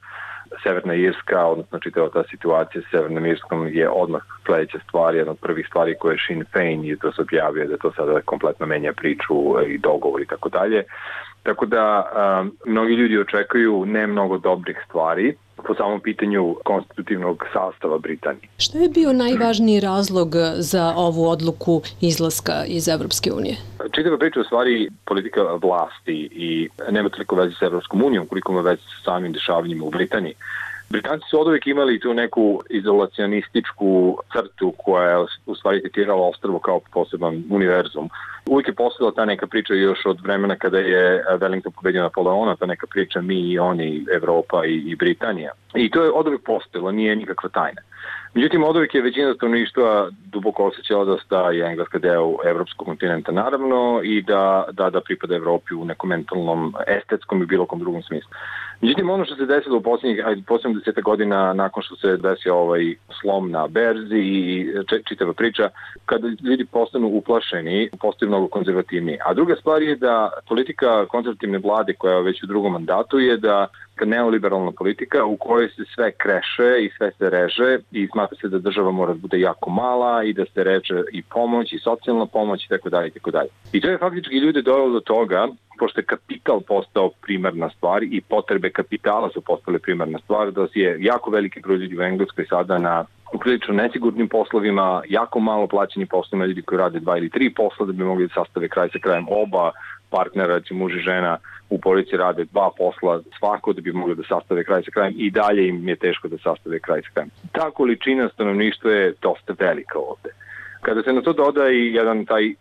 Severna Irska, odnosno čitava ta situacija s Severnom Irskom je odmah sledeća stvar, jedna od prvih stvari koje je Sinn Féin i to se objavio da to sada kompletno menja priču i dogovor i tako dalje. Tako da mnogi ljudi očekuju ne mnogo dobrih stvari po samom pitanju konstitutivnog sastava Britanije.
Što je bio najvažniji razlog za ovu odluku izlaska iz Evropske unije?
Čitava priča u stvari politika vlasti i nema toliko veze sa Evropskom unijom koliko ima veze sa samim dešavanjima u Britaniji. Britanci su oduvijek imali tu neku izolacionističku crtu koja je u stvari tretirala ostrvo kao poseban univerzum. Uvijek je postojala ta neka priča još od vremena kada je Wellington pobedio Napoleona, ta neka priča mi i oni, Evropa i Britanija. I to je oduvijek postojalo, nije nikakva tajna. Međutim, oduvijek je većina stanovništva duboko osjećala da je Engleska deo evropskog kontinenta naravno i da pripada Evropi u nekom mentalnom, estetskom i bilo kom drugom smislu. Međutim, ono što se desilo u posljednjih 10 godina nakon što se desio ovaj slom na berzi i čitava priča, kada ljudi postanu uplašeni, postaju mnogo konzervativniji. A druga stvar je da politika konzervativne vlade koja je već u drugom mandatu je da neoliberalna politika u kojoj se sve kreše i sve se reže i smatra se da država mora da bude jako mala i da se reže i pomoć i socijalna pomoć i tako dalje. I to je faktički ljude dovelo do toga, pošto je kapital postao primarna stvar i potrebe kapitala su postale primarna stvar, da je jako veliki broj ljudi u Engleskoj sada na prilično nesigurnim poslovima, jako malo plaćeni poslovima, ljudi koji rade 2 ili 3 posla da bi mogli da sastave kraj sa krajem. Oba partnera, muž i žena u porodici rade 2 posla svako da bi mogli da sastave kraj sa krajem i dalje im je teško da sastave kraj sa krajem. Ta količina stanovništva je dosta velika ovde. Kada se na to doda i jedan taj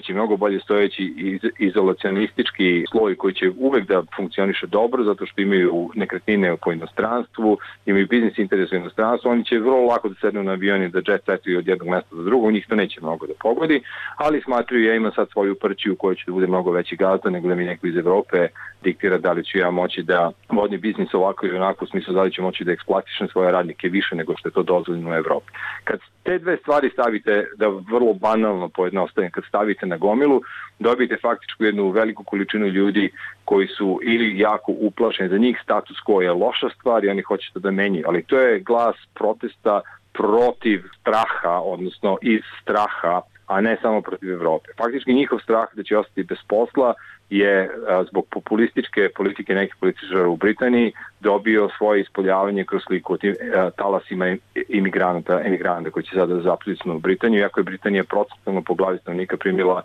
mnogo bolje stojeći izolacionistički sloj koji će uvek da funkcioniše dobro zato što imaju nekretnine po inostranstvu, imaju biznis interes u inostranstvu, oni će vrlo lako da sednu na avioni da jet setuju od jednog mesta do drugog, njih to neće mnogo da pogodi, ali smatruju ja imam sad svoju prćiju koja će da bude mnogo veći gazda nego da mi neko iz Evrope diktira da li ću ja moći da vodim biznis ovako ili onako, u smislu da li ću moći da eksploatišem svoje radnike više nego što je to dozvoljeno u Evropi. Kad te dve stvari stavite, da vrlo banalno pojednostavim, kad stavite na gomilu, dobijete faktičku jednu veliku količinu ljudi koji su ili jako uplašeni, za njih status quo je loša stvar i oni hoće to da menjaju, ali to je glas protesta protiv straha, odnosno iz straha, a ne samo protiv Evrope. Faktički njihov strah da će ostati bez posla je zbog populističke politike nekih političara u Britaniji dobio svoje ispoljavanje kroz sliku o tim talasima emigranta koji će sada zapljusnu u Britaniju, iako je Britanija procentualno po glavi stanovnika primila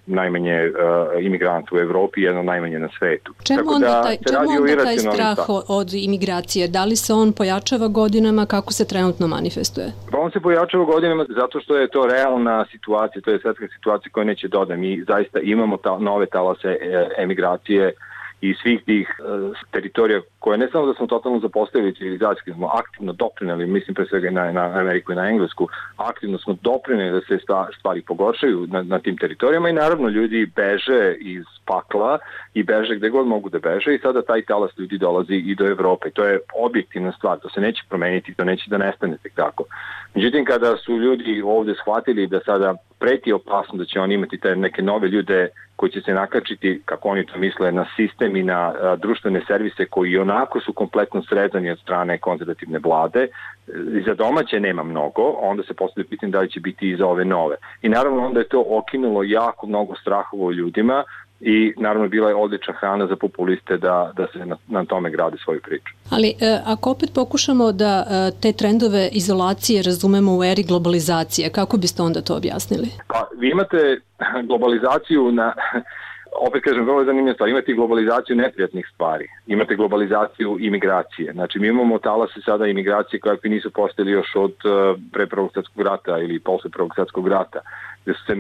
najmanje imigranta u Evropi, jedno najmanje na svetu.
Čemu onda taj strah od imigracije? Da li se on pojačava godinama, kako se trenutno manifestuje?
On se pojačava godinama zato što je to realna situacija, to je svetska situacija koja neće doda. Mi zaista imamo nove talase emigracije i svih tih teritorija koje ne samo da smo totalno zapostavili civilizacijski, smo aktivno doprineli, mislim pre svega na Ameriku i na Englesku, aktivno smo doprineli da se stvari pogoršaju na tim teritorijama i naravno ljudi beže iz pakla i beže gde god mogu da beže i sada taj talas ljudi dolazi i do Evrope. To je objektivna stvar, to se neće promeniti, to neće da nestane tek tako. Međutim, kada su ljudi ovde shvatili da sada preti opasno da će oni imati te neke nove ljude koji će se nakačiti, kako oni to misle, na sistem i na društvene servise koji onako su kompletno srezani od strane konzervativne vlade. Za domaće nema mnogo, onda se postavlja pitanje da li će biti i za ove nove. I naravno onda je to okinulo jako mnogo strahova u ljudima i naravno bila je odlična hrana za populiste da se na tome grade svoju priču.
Ali ako opet pokušamo da te trendove izolacije razumemo u eri globalizacije, kako biste onda to objasnili?
Pa vi imate globalizaciju opet kažem, vrlo je zanimljiva stvar, imate globalizaciju neprijatnih stvari, imate globalizaciju imigracije. Znači mi imamo talase sada imigracije kakvi nisu postojali još od pre Prvog svjetskog rata ili posle Prvog svjetskog rata, gde su se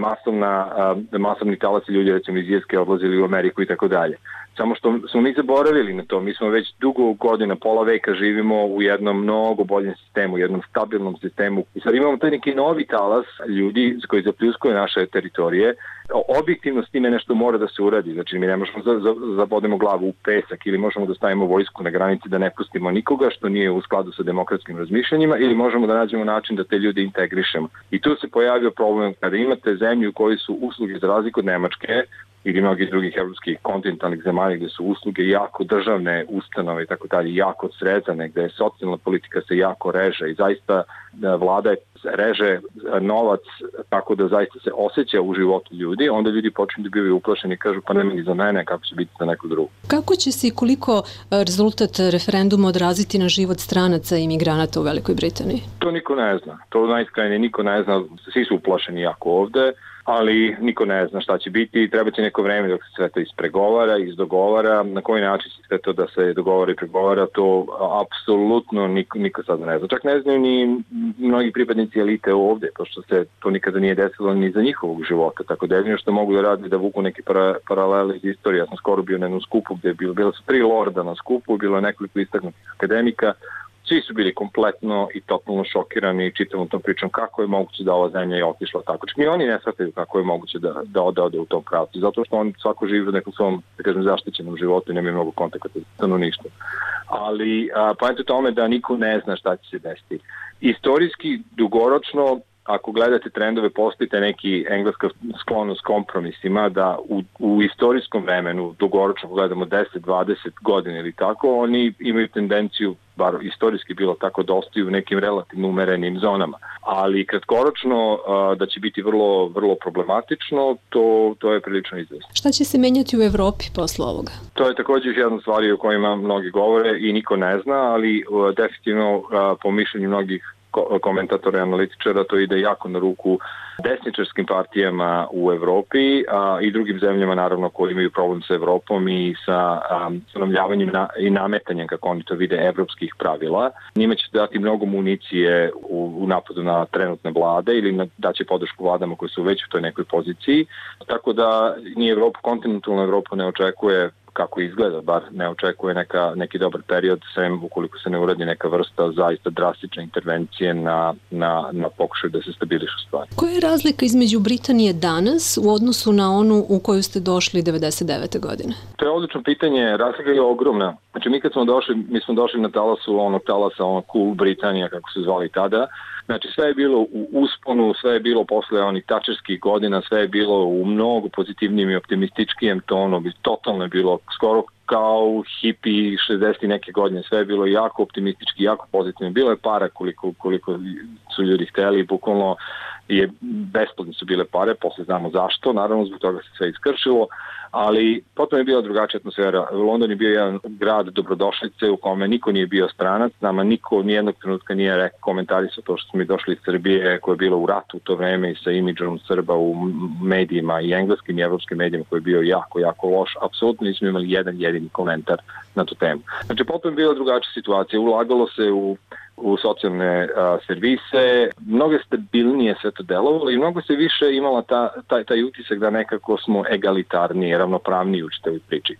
masovni talasi ljudi recimo iz Irske odlazili u Ameriku i tako dalje. Samo što smo mi zaboravili na to, mi smo već dugo godina, pola veka živimo u jednom mnogo boljem sistemu, jednom stabilnom sistemu i sad imamo taj neki novi talas ljudi koji zapljuskuje naše teritorije. Objektivno s time nešto mora da se uradi, znači mi ne možemo zabodemo glavu u pesak ili možemo da stavimo vojsku na granici da ne pustimo nikoga što nije u skladu sa demokratskim razmišljanjima ili možemo da nađemo način da te ljude integrišemo. I tu se pojavio problem kada imate zemlju u kojoj su usluge za razliku od Nemačke ili mnogih drugih evropskih kontinentalnih zemalja gde su usluge jako državne ustanove i tako dalje, jako srezane, gde je socijalna politika se jako reže i zaista vlada reže novac tako da zaista se osjeća u životu ljudi, onda ljudi počinju da bivaju uplašeni i kažu pa nema ni za mene, kako će biti za neko drugo.
Kako će se i koliko rezultat referenduma odraziti na život stranaca i imigranata u Velikoj Britaniji?
To niko ne zna. To najskrajnije niko ne zna. Svi su uplašeni jako ovde, ali niko ne zna šta će biti. Treba će neko vreme dok se sve to ispregovara, izdogovara. Na koji način će sve to da se dogovara i pregovara, to apsolutno niko sad ne zna. Čak ne znaju ni mnogi pripadnici elite ovde, pošto se to nikada nije desilo ni za njihovog života. Tako da jedino što mogu da radi da vuku neke paralele iz istorije. Ja sam skoro bio na jednom skupu gde bilo su 3 lorda na skupu, bilo je nekoliko istaknutih akademika. Svi su bili kompletno i totalno šokirani čitavom tom pričom kako je moguće da ova zemlja je otišla tako. Čak ni oni ne shvataju kako je moguće da ode u tom pravcu, zato što on svako živi u nekom svom, da kažem, zaštićenom životu i nema mnogo kontakta sa stanovništvom. Ali poenta je tome da niko ne zna šta će se desiti. Istorijski, dugoročno, ako gledate trendove, postoji neki engleska sklonost kompromisima da u istorijskom vremenu, dugoročno gledamo 10-20 godina ili tako, oni imaju tendenciju, bar istorijski bilo tako, da ostaju u nekim relativno umerenim zonama. Ali kratkoročno da će biti vrlo, vrlo problematično, to je prilično izvesno.
Šta će se menjati u Evropi posle ovoga?
To je također još jedna stvar o kojima mnogi govore i niko ne zna, ali definitivno po mišljenju mnogih komentatora i analitičara to ide jako na ruku desničarskim partijama u Evropi i drugim zemljama naravno koji imaju problem sa Evropom i sa stanovljavanjem i nametanjem, kako oni to vide, evropskih pravila. Njima će dati mnogo municije u napadu na trenutne vlade ili daće podršku vladama koji su već u toj nekoj poziciji. Tako da ni Evropa, kontinentalna Evropa ne očekuje kako izgleda, bar ne očekuje neki dobar period, sem ukoliko se ne uradi neka vrsta zaista drastične intervencije na pokušaju da se stabilišu stvari.
Koja je razlika između Britanije danas u odnosu na onu u koju ste došli 99. godine?
To je odlično pitanje, razlika je ogromna. Znači mi smo došli na talasa Cool Britanija, kako se zvali tada. Znači sve je bilo u usponu, sve je bilo posle onih tačerskih godina, sve je bilo u mnogo pozitivnijem i optimističkijem tonu, totalno je bilo skoro kao hipi 60. neke godine. Sve je bilo jako optimistički, jako pozitivno. Bilo je para koliko su ljudi hteli, bukvalno besplatne su bile pare, posle znamo zašto, naravno zbog toga se sve iskršilo, ali potom je bila drugačija atmosfera. London je bio jedan grad dobrodošlice u kome niko nije bio stranac, nama niko nijednog trenutka nije komentarisao to što smo mi došli iz Srbije koja je bila u ratu u to vreme i sa imidžom Srba u medijima i engleskim i evropskim medijima koji je bio jako, jako loš. Apsolutno nismo imali jedan jedini komentar na tu temu. Znači, potom je bila drugačija situacija. Ulagalo se u socijalne servise, mnogo stabilnije sve to delovalo i mnogo se više imala taj utisak da nekako smo egalitarniji, ravnopravniji u čitavoj priči.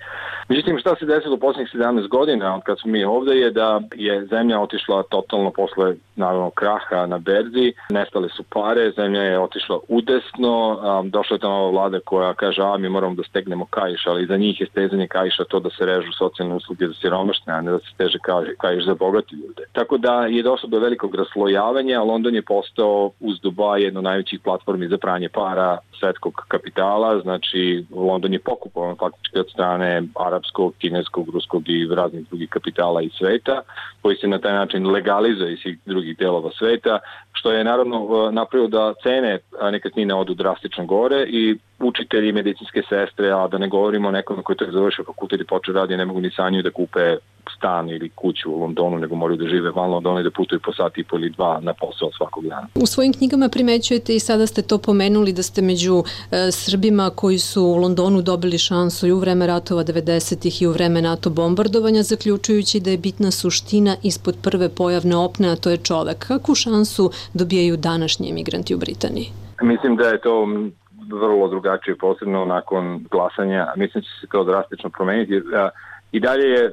Međutim, šta se desilo u posljednjih 17 godina od kad smo mi ovde je da je zemlja otišla totalno posle naravno kraha na berzi, nestale su pare, zemlja je otišla udesno, došla je ta nova vlada koja kaže mi moramo da stegnemo kaiš, ali za njih je stezanje kaiša to da se režu socijalne usluge za siromašne, a ne da se steže kaiš za bogati ljude. Tako da je došlo do velikog raslojavanja, a London je postao uz Dubai jedno najvećih platformi za pranje para svetskog kapitala, znači London je pokupovan faktički od strane arapskog, kineskog, ruskog i raznih drugih kapitala iz sveta, koji se na taj način legalizuje iz svih drugih delova sveta, što je naravno napravilo da cene nekretnine odu drastično gore i učitelji, medicinske sestre, a da ne govorimo o nekome koji je završio fakultet i počeo radi, ne mogu ni sanjuju da kupe stan ili kuću u Londonu, nego moraju da žive van Londona i da putuju po sat i po ili dva na posao svakog dana.
U svojim knjigama primećujete i sada ste to pomenuli da ste među Srbima koji su u Londonu dobili šansu i u vreme ratova 90-ih i u vreme NATO bombardovanja, zaključujući da je bitna suština ispod prve pojavne opne, a to je čovek. Kakvu šansu dobijaju današnji emigranti u Britaniji?
Mislim da je to vrlo drugačije, posebno nakon glasanja. Mislim da će se to drastično promeniti. I dalje je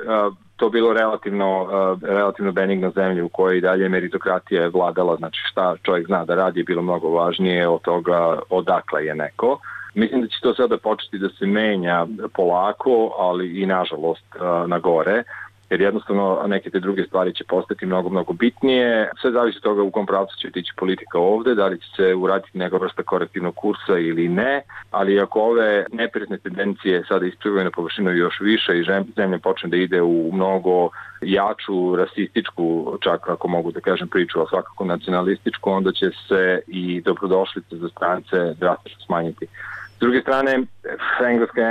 to bilo relativno benigna zemlja u kojoj i dalje meritokratija je vladala, znači šta čovjek zna da radi je bilo mnogo važnije od toga odakle je neko. Mislim da će to sada početi da se menja polako, ali i nažalost na gore, jer jednostavno neke te druge stvari će postati mnogo, mnogo bitnije. Sve zavisi od toga u kom pravcu će tići politika ovde, da li će se uraditi neka vrsta korektivnog kursa ili ne, ali ako ove neprijatne tendencije sada isplivaju na površinu još više i zemlja počne da ide u mnogo jaču, rasističku, čak ako mogu da kažem priču, a svakako nacionalističku, onda će se i dobrodošlice za strance drastično smanjiti. S druge strane,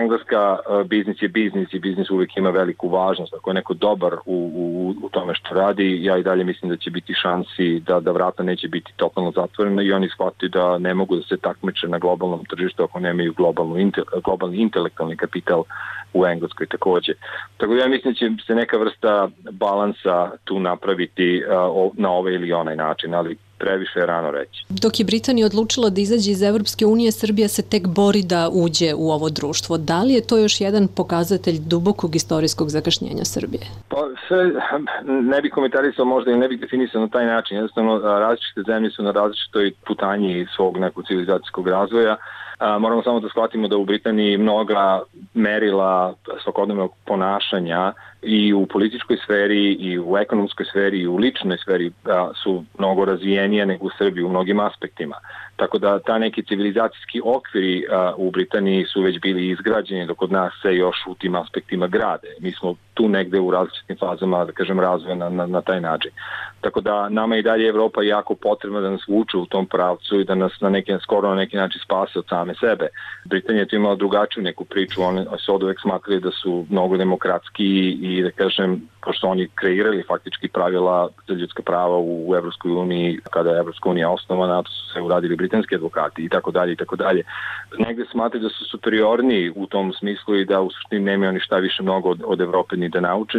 engleska, biznis je biznis i biznis uvijek ima veliku važnost. Ako je neko dobar u tome što radi, ja i dalje mislim da će biti šansi da vrata neće biti totalno zatvorena i oni shvataju da ne mogu da se takmiče na globalnom tržištu ako nemaju globalni intelektualni kapital u Engleskoj takođe. Tako da ja mislim da će se neka vrsta balansa tu napraviti na ovaj ili onaj način, ali previše je rano reći.
Dok je Britanija odlučila da izađe iz Evropske unije, Srbija se tek bori da uđe u ovo društvo. Da li je to još jedan pokazatelj dubokog istorijskog zakašnjenja Srbije?
Pa sve ne bi komentarisao možda i ne bih definisao na taj način. Jednostavno, različite zemlje su na različitoj putanji svog nekog civilizacijskog razvoja. Moramo samo da shvatimo da u Britaniji mnoga merila svakodnevnog ponašanja i u političkoj sferi i u ekonomskoj sferi i u ličnoj sferi su mnogo razvijenije nego u Srbiji u mnogim aspektima. Tako da ta neki civilizacijski okviri u Britaniji su već bili izgrađeni dok kod nas se još u tim aspektima grade. Mi smo tu negde u različitim fazama, da kažem, razvoja na taj način. Tako da nama i dalje Evropa jako potrebna da nas vuče u tom pravcu i da nas skoro na neki način spase od same sebe. Britanija je tu imala drugačiju neku priču, oni su od uvek smatrali da su mnogo demokratski i da kažem, pošto oni kreirali faktički pravila za ljudska prava u Evropskoj uniji, kada je Evropska unija osnovana, to su se uradili britanski advokati i tako dalje i tako dalje. Negde smatraju da su superiorniji u tom smislu i da u suštini nemaju ništa više mnogo od Evrope ni da nauče,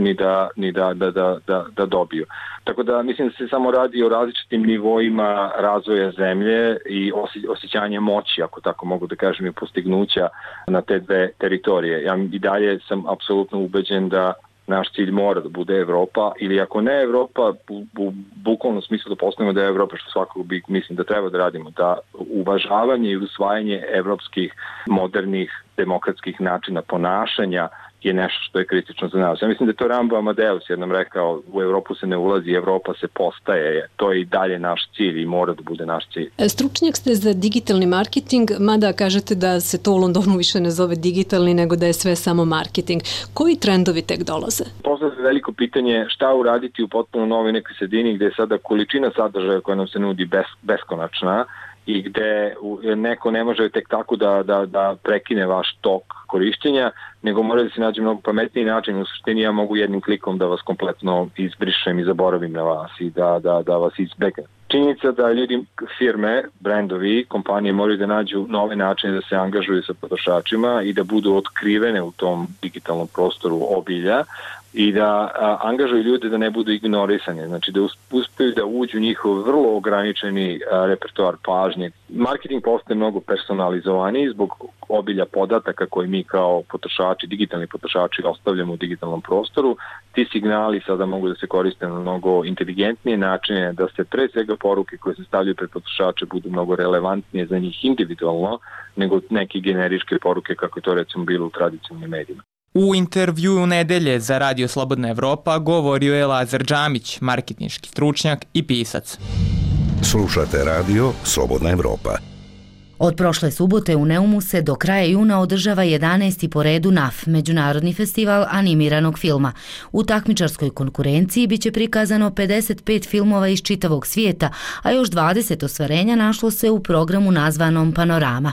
ni da dobiju. Tako da mislim da se samo radi o različitim nivoima razvoja zemlje i osjećanja moći, ako tako mogu da kažem, i postignuća na te dve teritorije. Ja i dalje sam apsolutno ubeđen da naš cilj mora da bude Evropa, ili ako ne Evropa, u bukvalnom smislu da postavimo da je Evropa, što svakako mislim da treba da radimo, da uvažavanje i usvajanje evropskih modernih demokratskih načina ponašanja je nešto što je kritično za nas. Ja mislim da je to Rambo Amadeus jednom rekao, u Evropu se ne ulazi, Evropa se postaje, to je i dalje naš cilj i mora da bude naš cilj.
Stručnjak ste za digitalni marketing, mada kažete da se to u Londonu više ne zove digitalni, nego da je sve samo marketing. Koji trendovi tek dolaze?
Postavlja se veliko pitanje šta uraditi u potpuno novoj nekoj sredini gde je sada količina sadržaja koja nam se nudi beskonačna i gde neko ne može tek tako da prekine vaš tok korišćenja, nego mora da se nađe mnogo pametniji način. U suštini ja mogu jednim klikom da vas kompletno izbrišem i zaboravim na vas i da vas izbegnem. Činjenica da ljudi, firme, brendovi, kompanije moraju da nađu nove načine da se angažuju sa potrošačima i da budu otkrivene u tom digitalnom prostoru obilja i da angažuju ljude da ne budu ignorisani, znači da uspeju da uđu njihov vrlo ograničeni repertoar pažnje. Marketing postaje mnogo personalizovaniji zbog obilja podataka koje mi kao potrošači, digitalni potrošači ostavljamo u digitalnom prostoru. Ti signali sada mogu da se koriste na mnogo inteligentnije načine, da se pre svega poruke koje se stavljaju pred potrošače budu mnogo relevantnije za njih individualno nego neke generičke poruke kako je to recimo bilo u tradicionalnim medijima.
U intervjuu nedelje za Radio Slobodna Evropa govorio je Lazar Džamić, marketinški stručnjak i pisac.
Slušate Radio Slobodna Evropa.
Od prošle subote u Neumu se do kraja juna održava 11. po redu NAF, Međunarodni festival animiranog filma. U takmičarskoj konkurenciji biće prikazano 55 filmova iz čitavog svijeta, a još 20 ostvarenja našlo se u programu nazvanom Panorama.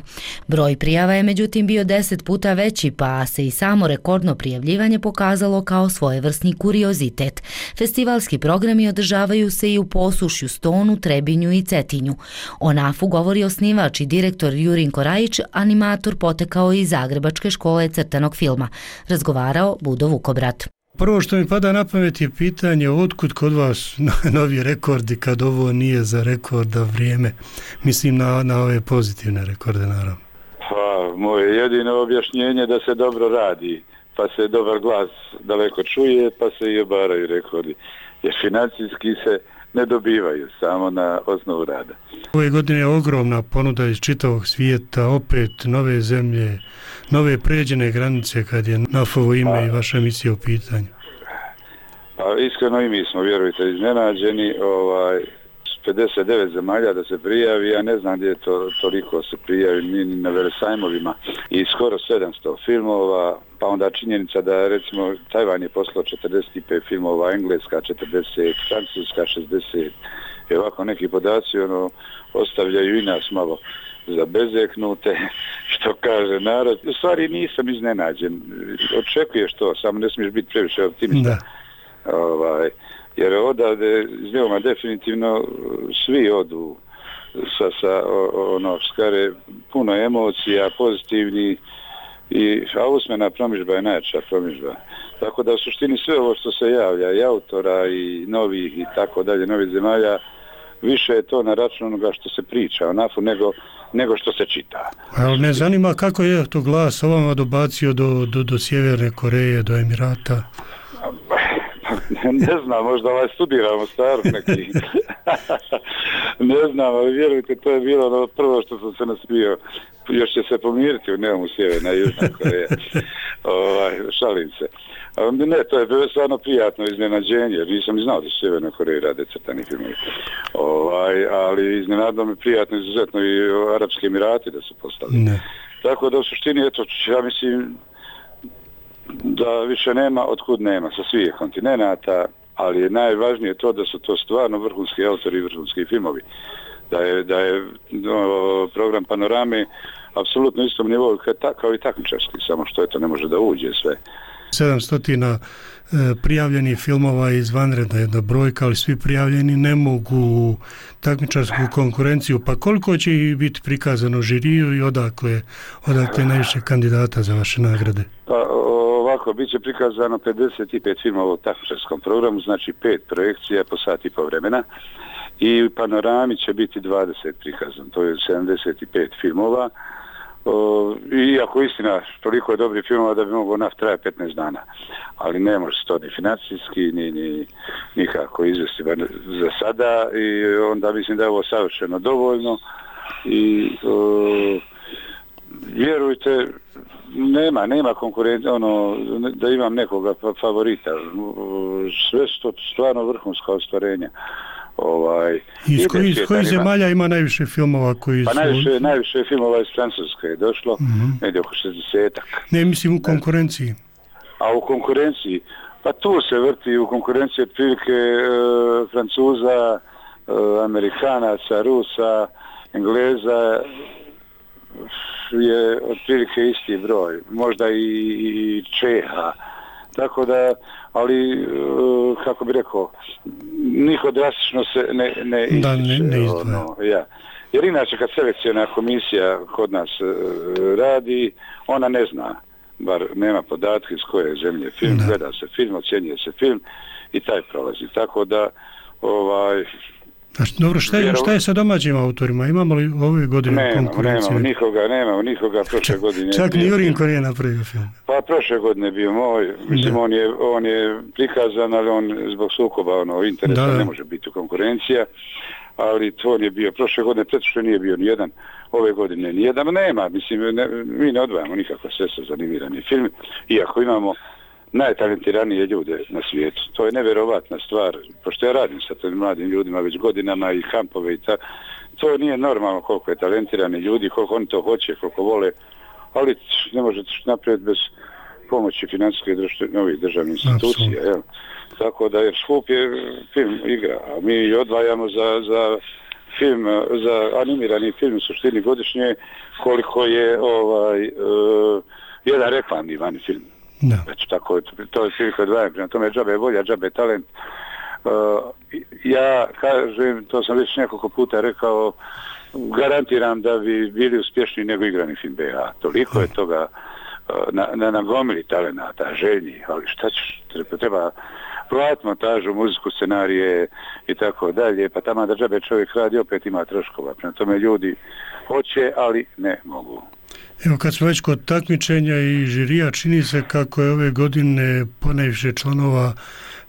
Broj prijava je međutim bio 10 puta veći, pa se i samo rekordno prijavljivanje pokazalo kao svojevrsni kuriozitet. Festivalski programi održavaju se i u Posušju, Stonu, Trebinju i Cetinju. O NAF-u govori osnivač i direktor Jurinko Rajić, animator potekao iz Zagrebačke škole crtanog filma. Razgovarao Budo Vukobrat.
Prvo što mi pada na pamet je pitanje otkud kod vas novi rekordi kad ovo nije za rekorda vrijeme. Mislim na ove pozitivne rekorde naravno.
Pa, moje jedino objašnjenje da se dobro radi, pa se dobar glas daleko čuje, pa se i obaraju rekordi. Jer financijski se ne dobivaju, samo na osnovu rada.
Ove godine je ogromna ponuda iz čitavog svijeta, opet nove zemlje, nove pređene granice kad je NAF-ovo ime i vaša emisija u pitanju.
Pa iskreno i mi smo, vjerujte, iznenađeni, 59 zemalja da se prijavi, ja ne znam gdje je toliko se prijavi, ni na velesajmovima, i skoro 700 filmova, pa onda činjenica da recimo Tajvan je poslao 45 filmova, Engleska 40, Francuska 60, i ovako neki podaci ostavljaju i nas malo zabezeknute, što kaže narod. U stvari nisam iznenađen, očekuješ to, samo ne smiješ biti previše optimista. Jer odavde iz Neuma definitivno svi odu sa skare puno emocija, pozitivni, a usmena promidžba je najjača promidžba. Tako da u suštini sve ovo što se javlja, i autora i novih i tako dalje, novih zemalja, više je to na račun onoga što se priča o NAF-u nego što se čita.
Ali me zanima kako je to glas ovama dobacio do Sjeverne Koreje, do Emirata?
Ne znam, možda studiramo starog neki. Ne znam, ali vjerujte, to je bilo prvo što sam se nasmio. Još će se pomiriti u Neumu Sjeverna i Južna Koreja. Šalim se. Ne, to je bilo stvarno prijatno iznenađenje, jer nisam ni znao da su Sjeverna Koreja rade crtani filmovi. Ali iznenadno mi prijatno izuzetno i Arapski Emirati da su postali. Ne. Tako da u suštini, eto, ja mislim da više nema otkud nema sa svih kontinenata, ali je najvažnije to da su to stvarno vrhunski autori i vrhunski filmovi. Da je program Panorame apsolutno istom nivou kao i takmičarski, samo što eto ne može da uđe sve.
700 prijavljenih filmova je izvanredna jedna brojka, ali svi prijavljeni ne mogu takmičarsku konkurenciju. Pa koliko će ih biti prikazano žiriju i odakle najviše kandidata za vaše nagrade?
Pa ovako, bit će prikazano 55 filmova u takmičarskom programu, znači 5 projekcija po sat i po vremena. I u Panorami će biti 20 prikazan, to je 75 filmova. Iako istina, toliko je dobrih filmova da bi mogao NAF trajati 15 dana. Ali ne može se to ni financijski, ni nikako izvesti za sada. I onda mislim da je ovo savršeno dovoljno. I Vjerujte, nema konkurencije, da imam nekoga favorita. Sve su to stvarno vrhunska ostvarenja.
Iz kojih zemalja ima najviše filmova koji su...
Pa najviše filmova iz Francuske je došlo, negdje oko 60-ak.
Ne, mislim u konkurenciji.
A u konkurenciji? Pa tu se vrti u konkurenciji otprilike Francuza, Amerikanaca, Rusa, Engleza, je otprilike isti broj, možda i Čeha. Tako da, ali, kako bi rekao, niko drastično se ne izdvaja. Jer inače kad selekciona komisija kod nas radi, ona ne zna, bar nema podatke iz koje zemlje film, gleda se film, ocjenjuje se film i taj prolazi. Tako da,
Dobro, šta je sa domaćim autorima? Imamo li ove godine konkurencije?
Nemamo nikoga prošle godine.
Čak ni Jurinko nije napravio film.
Pa prošle godine je bio moj, mislim on je prikazan, ali on zbog sukoba interesa ne može biti konkurencija, ali to on je bio prošle godine, što nije bio nijedan, ove godine nijedan, nema, mislim, mi ne odvajamo nikakva sredstva za animirani film, iako imamo najtalentiranije ljude na svijetu. To je nevjerovatna stvar, pošto ja radim sa tim mladim ljudima već godinama i kampove i to nije normalno koliko je talentirani ljudi, koliko oni to hoće, koliko vole, ali ne možete naprijed bez pomoći financijske novih državnih institucija. Jel? Tako da je skup je film igra, a mi odvajamo za film, za animirani film u suštini godišnje koliko je jedan reklamni vani film. Znači, tako, to je prilike odvajam, prema tome džabe volja, džabe talent. Ja kažem, to sam već nekoliko puta rekao, garantiram da bi bili uspješniji nego igrani film BH. Toliko je toga na gomili talenata, željni, ali šta ćeš, treba platiti montažu, muziku, scenarije i tako dalje, pa tamo da džabe čovjek radi, opet ima troškova. Prema tome ljudi hoće, ali ne mogu.
Evo, kad smo već kod takmičenja i žirija, čini se kako je ove godine ponajviše članova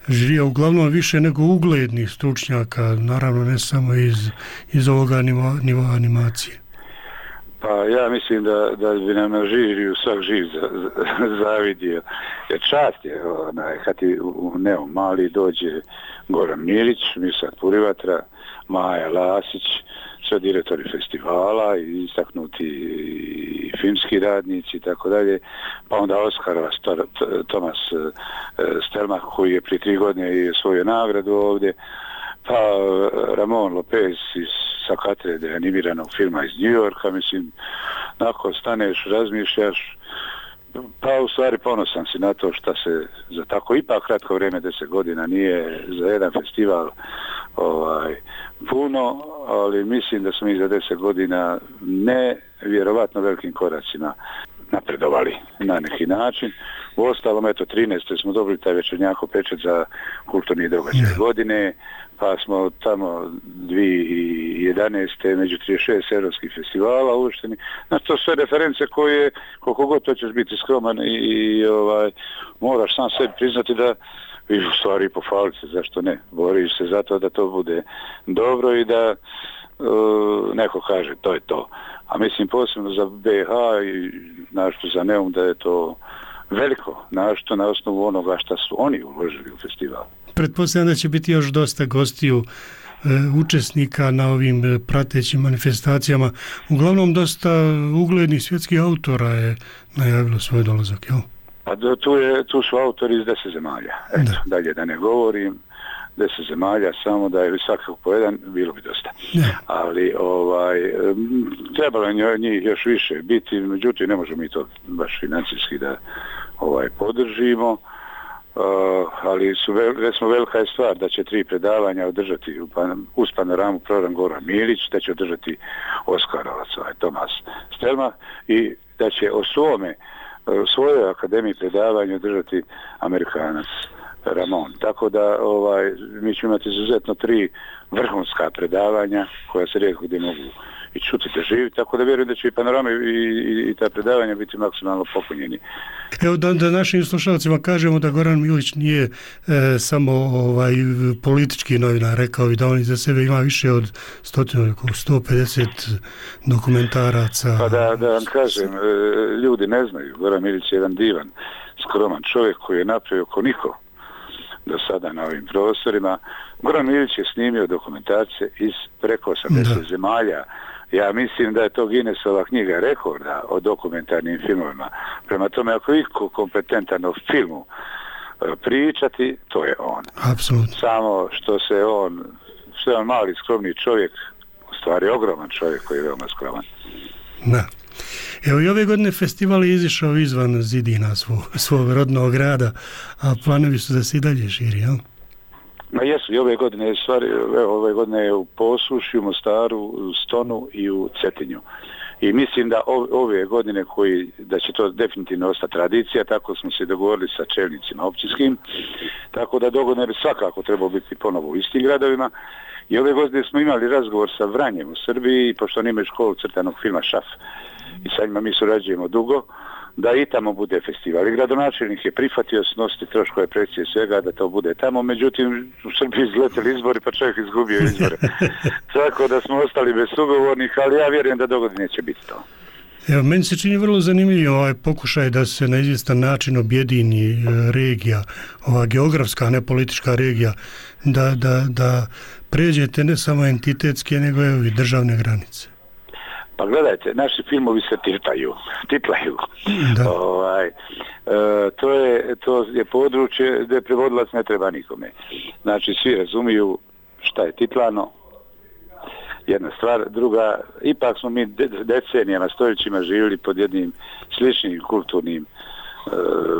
žirija, uglavnom više nego uglednih stručnjaka, naravno ne samo iz ovoga nivoa animacije.
Pa ja mislim da bi nam na žiriju svak živ zavidio. Jer čast je, kad ti u Neom Mali dođe Goran Milić, Mirsad Purivatra, Maja Lasić, sve direktori festivala i istaknuti i filmski radnici i tako dalje, pa onda Oskarova Tomas Stelmach koji je prije 3 godine i osvojio nagradu ovdje, pa Ramon Lopez sa katedre animiranog filma iz New Yorka, mislim, nakon staneš, razmišljaš, pa u stvari ponosan si na to što se za tako ipak kratko vrijeme, 10 godina, nije za jedan festival puno, ali mislim da smo i za 10 godina nevjerovatno velikim koracima napredovali na neki način. U ostalom, 13. smo dobili taj večernjako pečet za kulturni događaj godine, pa smo tamo 2011. među 36 europskih festivala uvršteni. Znači, to sve reference koje, koliko god to ćeš biti skroman i moraš sam sebi priznati da i u stvari pohvaliti se, zašto ne? Boriš se za to da to bude dobro i da neko kaže to je to. A mislim posebno za BH i našto za Neum da je to veliko, našto na osnovu onoga što su oni uložili u festival.
Pretpostavljam da će biti još dosta gostiju učesnika na ovim pratećim manifestacijama. Uglavnom dosta uglednih svjetskih autora je najavilo svoj dolazak, jel?
Pa tu su autori iz 10 zemalja. Eto, dalje da ne govorim, 10 zemalja, samo da je svakako po jedan, bilo bi dosta. Ali trebalo je njih još više biti, međutim ne možemo mi to baš financijski da podržimo, ali recimo velika je stvar da će 3 predavanja održati uz panoramu program Goran Milić, da će održati Oskarovac, Tomas Stelmach i da će o svojoj akademiji predavanja održati Amerikanac Ramon. Tako da mi ćemo imati izuzetno 3 vrhunska predavanja koja se rijetko gdje mogu i čuti da živi, tako da vjerujem da će i panorama i ta predavanja biti maksimalno popunjeni.
Evo da našim slušalcima kažemo da Goran Milić nije samo politički novinar, rekao i da on iza sebe ima više od 150 dokumentaraca.
Pa da vam kažem, ljudi ne znaju, Goran Milić je jedan divan, skroman čovjek koji je napravio ko niko do sada na ovim prostorima. Goran Milić je snimio dokumentarce iz preko 80 zemalja. Ja mislim da je to Guinnessova knjiga rekorda o dokumentarnim filmovima. Prema tome, ako iko kompetentan o filmu pričati, to je on.
Apsolutno.
Samo što je on mali, skromni čovjek, u stvari ogroman čovjek koji je veoma skroman.
Da. Evo i ove godine festival je izišao izvan zidina svog rodnog grada, a planovi su da se i dalje širi, jel?
Ma jesu, i ove godine je u Posušju, Mostaru, u Stonu i u Cetinju. I mislim da ove godine da će to definitivno ostati tradicija, tako smo se dogovorili sa čelnicima općinskim, tako da dogodine bi svakako trebalo biti ponovo u istim gradovima. I ove godine smo imali razgovor sa Vranjem u Srbiji, pošto oni imaju školu crtanog filma Šaf. I sa njima mi surađujemo dugo, da i tamo bude festival. I gradonačelnik je prihvatio snositi troškove projekcije svega da to bude tamo, međutim u Srbiji izleteli izbori pa čovjek izgubio izbore. Tako da smo ostali bez sugovornih, ali ja vjerujem da dogodine će biti to.
Evo, meni se čini vrlo zanimljivo ovaj pokušaj da se na izvjestan način objedini regija, ova geografska, ne politička regija, da pređete ne samo entitetske, nego i državne granice.
Pa gledajte, naši filmovi se titlaju. To je područje gdje prevodilac ne treba nikome. Znači, svi razumiju šta je titlano, jedna stvar. Druga, ipak smo mi decenijama, stoljećima živjeli pod jednim sličnim kulturnim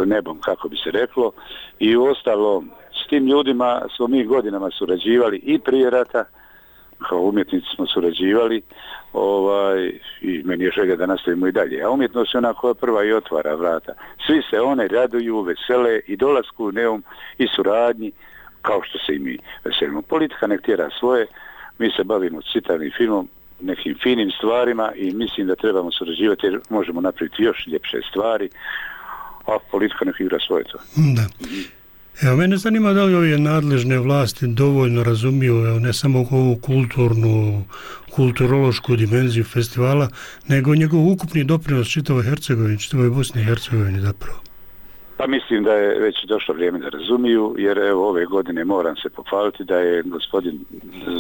nebom, kako bi se reklo. I uostalom, s tim ljudima smo mi godinama surađivali i prije rata, kao umjetnici smo surađivali, i meni je želja da nastavimo i dalje. A umjetnost je ona koja prva i otvara vrata. Svi se one raduju, vesele i dolasku u Neum i suradnji, kao što se i mi veselimo. Politika nek tjera svoje, mi se bavimo citarnim filmom, nekim finim stvarima i mislim da trebamo surađivati jer možemo napraviti još ljepše stvari, a politika nek igra svoje to.
Da. Evo, mene zanima da li ove nadležne vlasti dovoljno razumiju ne samo ovu kulturološku dimenziju festivala, nego njegov ukupni doprinos čitavoj Hercegovini, čitavoj Bosni i Hercegovini zapravo.
Pa mislim da je već došlo vrijeme da razumiju, jer evo ove godine moram se pohvaliti da je gospodin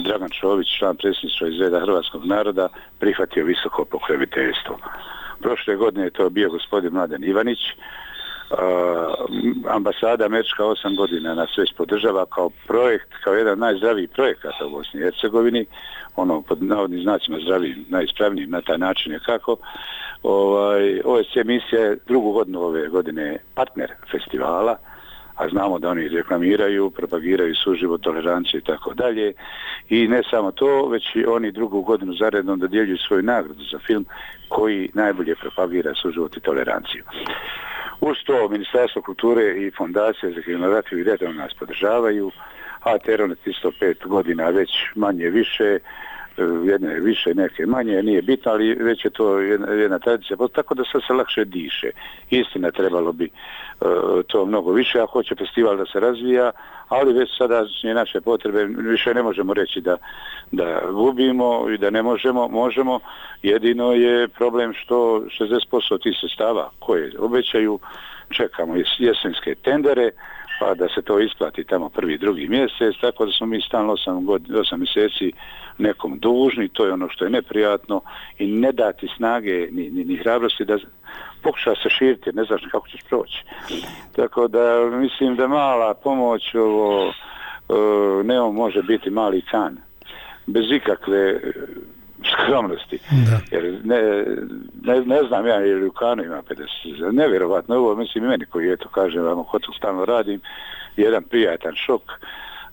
Dragan Čović, član predsjedništva iz reda hrvatskog naroda, prihvatio visoko pokroviteljstvo. Prošle godine je to bio gospodin Mladen Ivanić. Ambasada američka 8 godina nas već podržava kao projekt, kao jedan najzdraviji projekata u Bosni i Hercegovini, pod navodnim znacima zdravijim, najispravnijim na taj način je kako. OSC misija je drugu godinu ove godine partner festivala, a znamo da oni reklamiraju, propagiraju suživot, toleranciju i tako dalje. I ne samo to, već i oni drugu godinu zaredom dodjeljuju svoju nagradu za film koji najbolje propagira suživot i toleranciju. Uz to Ministarstvo kulture i Fondacija za kinematografiju i redom nas podržavaju, a Teronet isto 5 godina već manje više, jedne više, neke manje, nije bitno, ali već je to jedna tradicija, tako da sad se lakše diše. Istina, trebalo bi to mnogo više, a hoće festival da se razvija, ali već sada naše potrebe više ne možemo reći da gubimo i da ne možemo, jedino je problem što 60% tih sredstava koje obećaju, čekamo jesenske tendere, pa da se to isplati tamo prvi, drugi mjesec, tako da smo mi stalno 8 mjeseci nekom dužni, to je ono što je neprijatno i ne dati snage ni hrabrosti da pokuša se širiti, ne znaš kako ćeš proći. Tako da mislim da mala pomoć Neum može biti mali kan, bez ikakve skromnosti. Jer ne znam ja, jer u Kanu ima 50. Nevjerovatno, ovo mislim i meni koji kažem vam, hotel stalno radim, jedan prijatan šok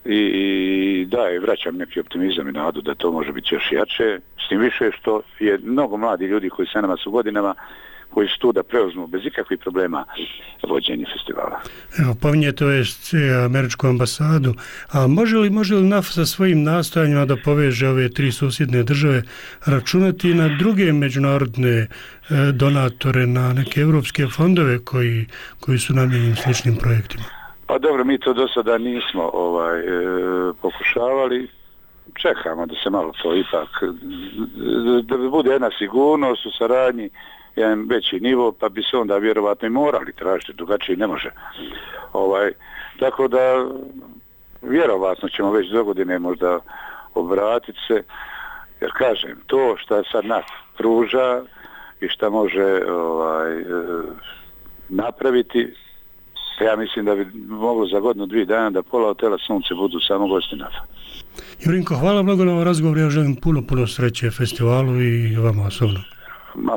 i vraćam neki optimizam i nadu da to može biti još jače, s tim više što je mnogo mladi ljudi koji sa nama su godinama, koji su tu da preuzmu bez ikakvih problema vođenje festivala.
Evo, pominjete američku ambasadu, a može li NAF sa svojim nastojanjima da poveže ove 3 susjedne države računati na druge međunarodne donatore, na neke evropske fondove koji su namijenjeni sličnim projektima?
Pa dobro, mi to do sada nismo pokušavali. Čekamo da se malo to ipak, da bude jedna sigurnost u saradnji, jedan veći nivo, pa bi se onda vjerovatno i morali tražiti, drugačije ne može. Tako da vjerovatno ćemo već do godine možda obratiti se, jer kažem, to što sad NAF pruža i što može napraviti, ja mislim da bi moglo za godinu, 2 dana da pola hotela Sunce budu samo gosti NAF-a.
Jurinko, hvala mnogo na ovom razgovoru, ja želim puno sreće festivalu i vama osobno.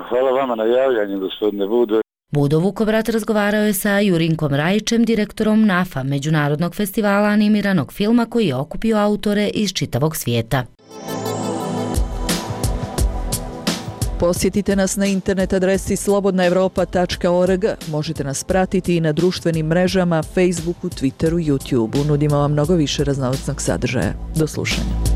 Hvala vama na javljanju, gospodine Budo.
Budo Vukovrat razgovarao je sa Jurinkom Rajićem, direktorom NAF-a, međunarodnog festivala animiranog filma koji je okupio autore iz čitavog svijeta.
Posjetite nas na internet adresi slobodnaevropa.org. Možete nas pratiti i na društvenim mrežama, Facebooku, Twitteru, YouTubeu. Nudimo vam mnogo više raznovrsnog sadržaja. Do slušanja.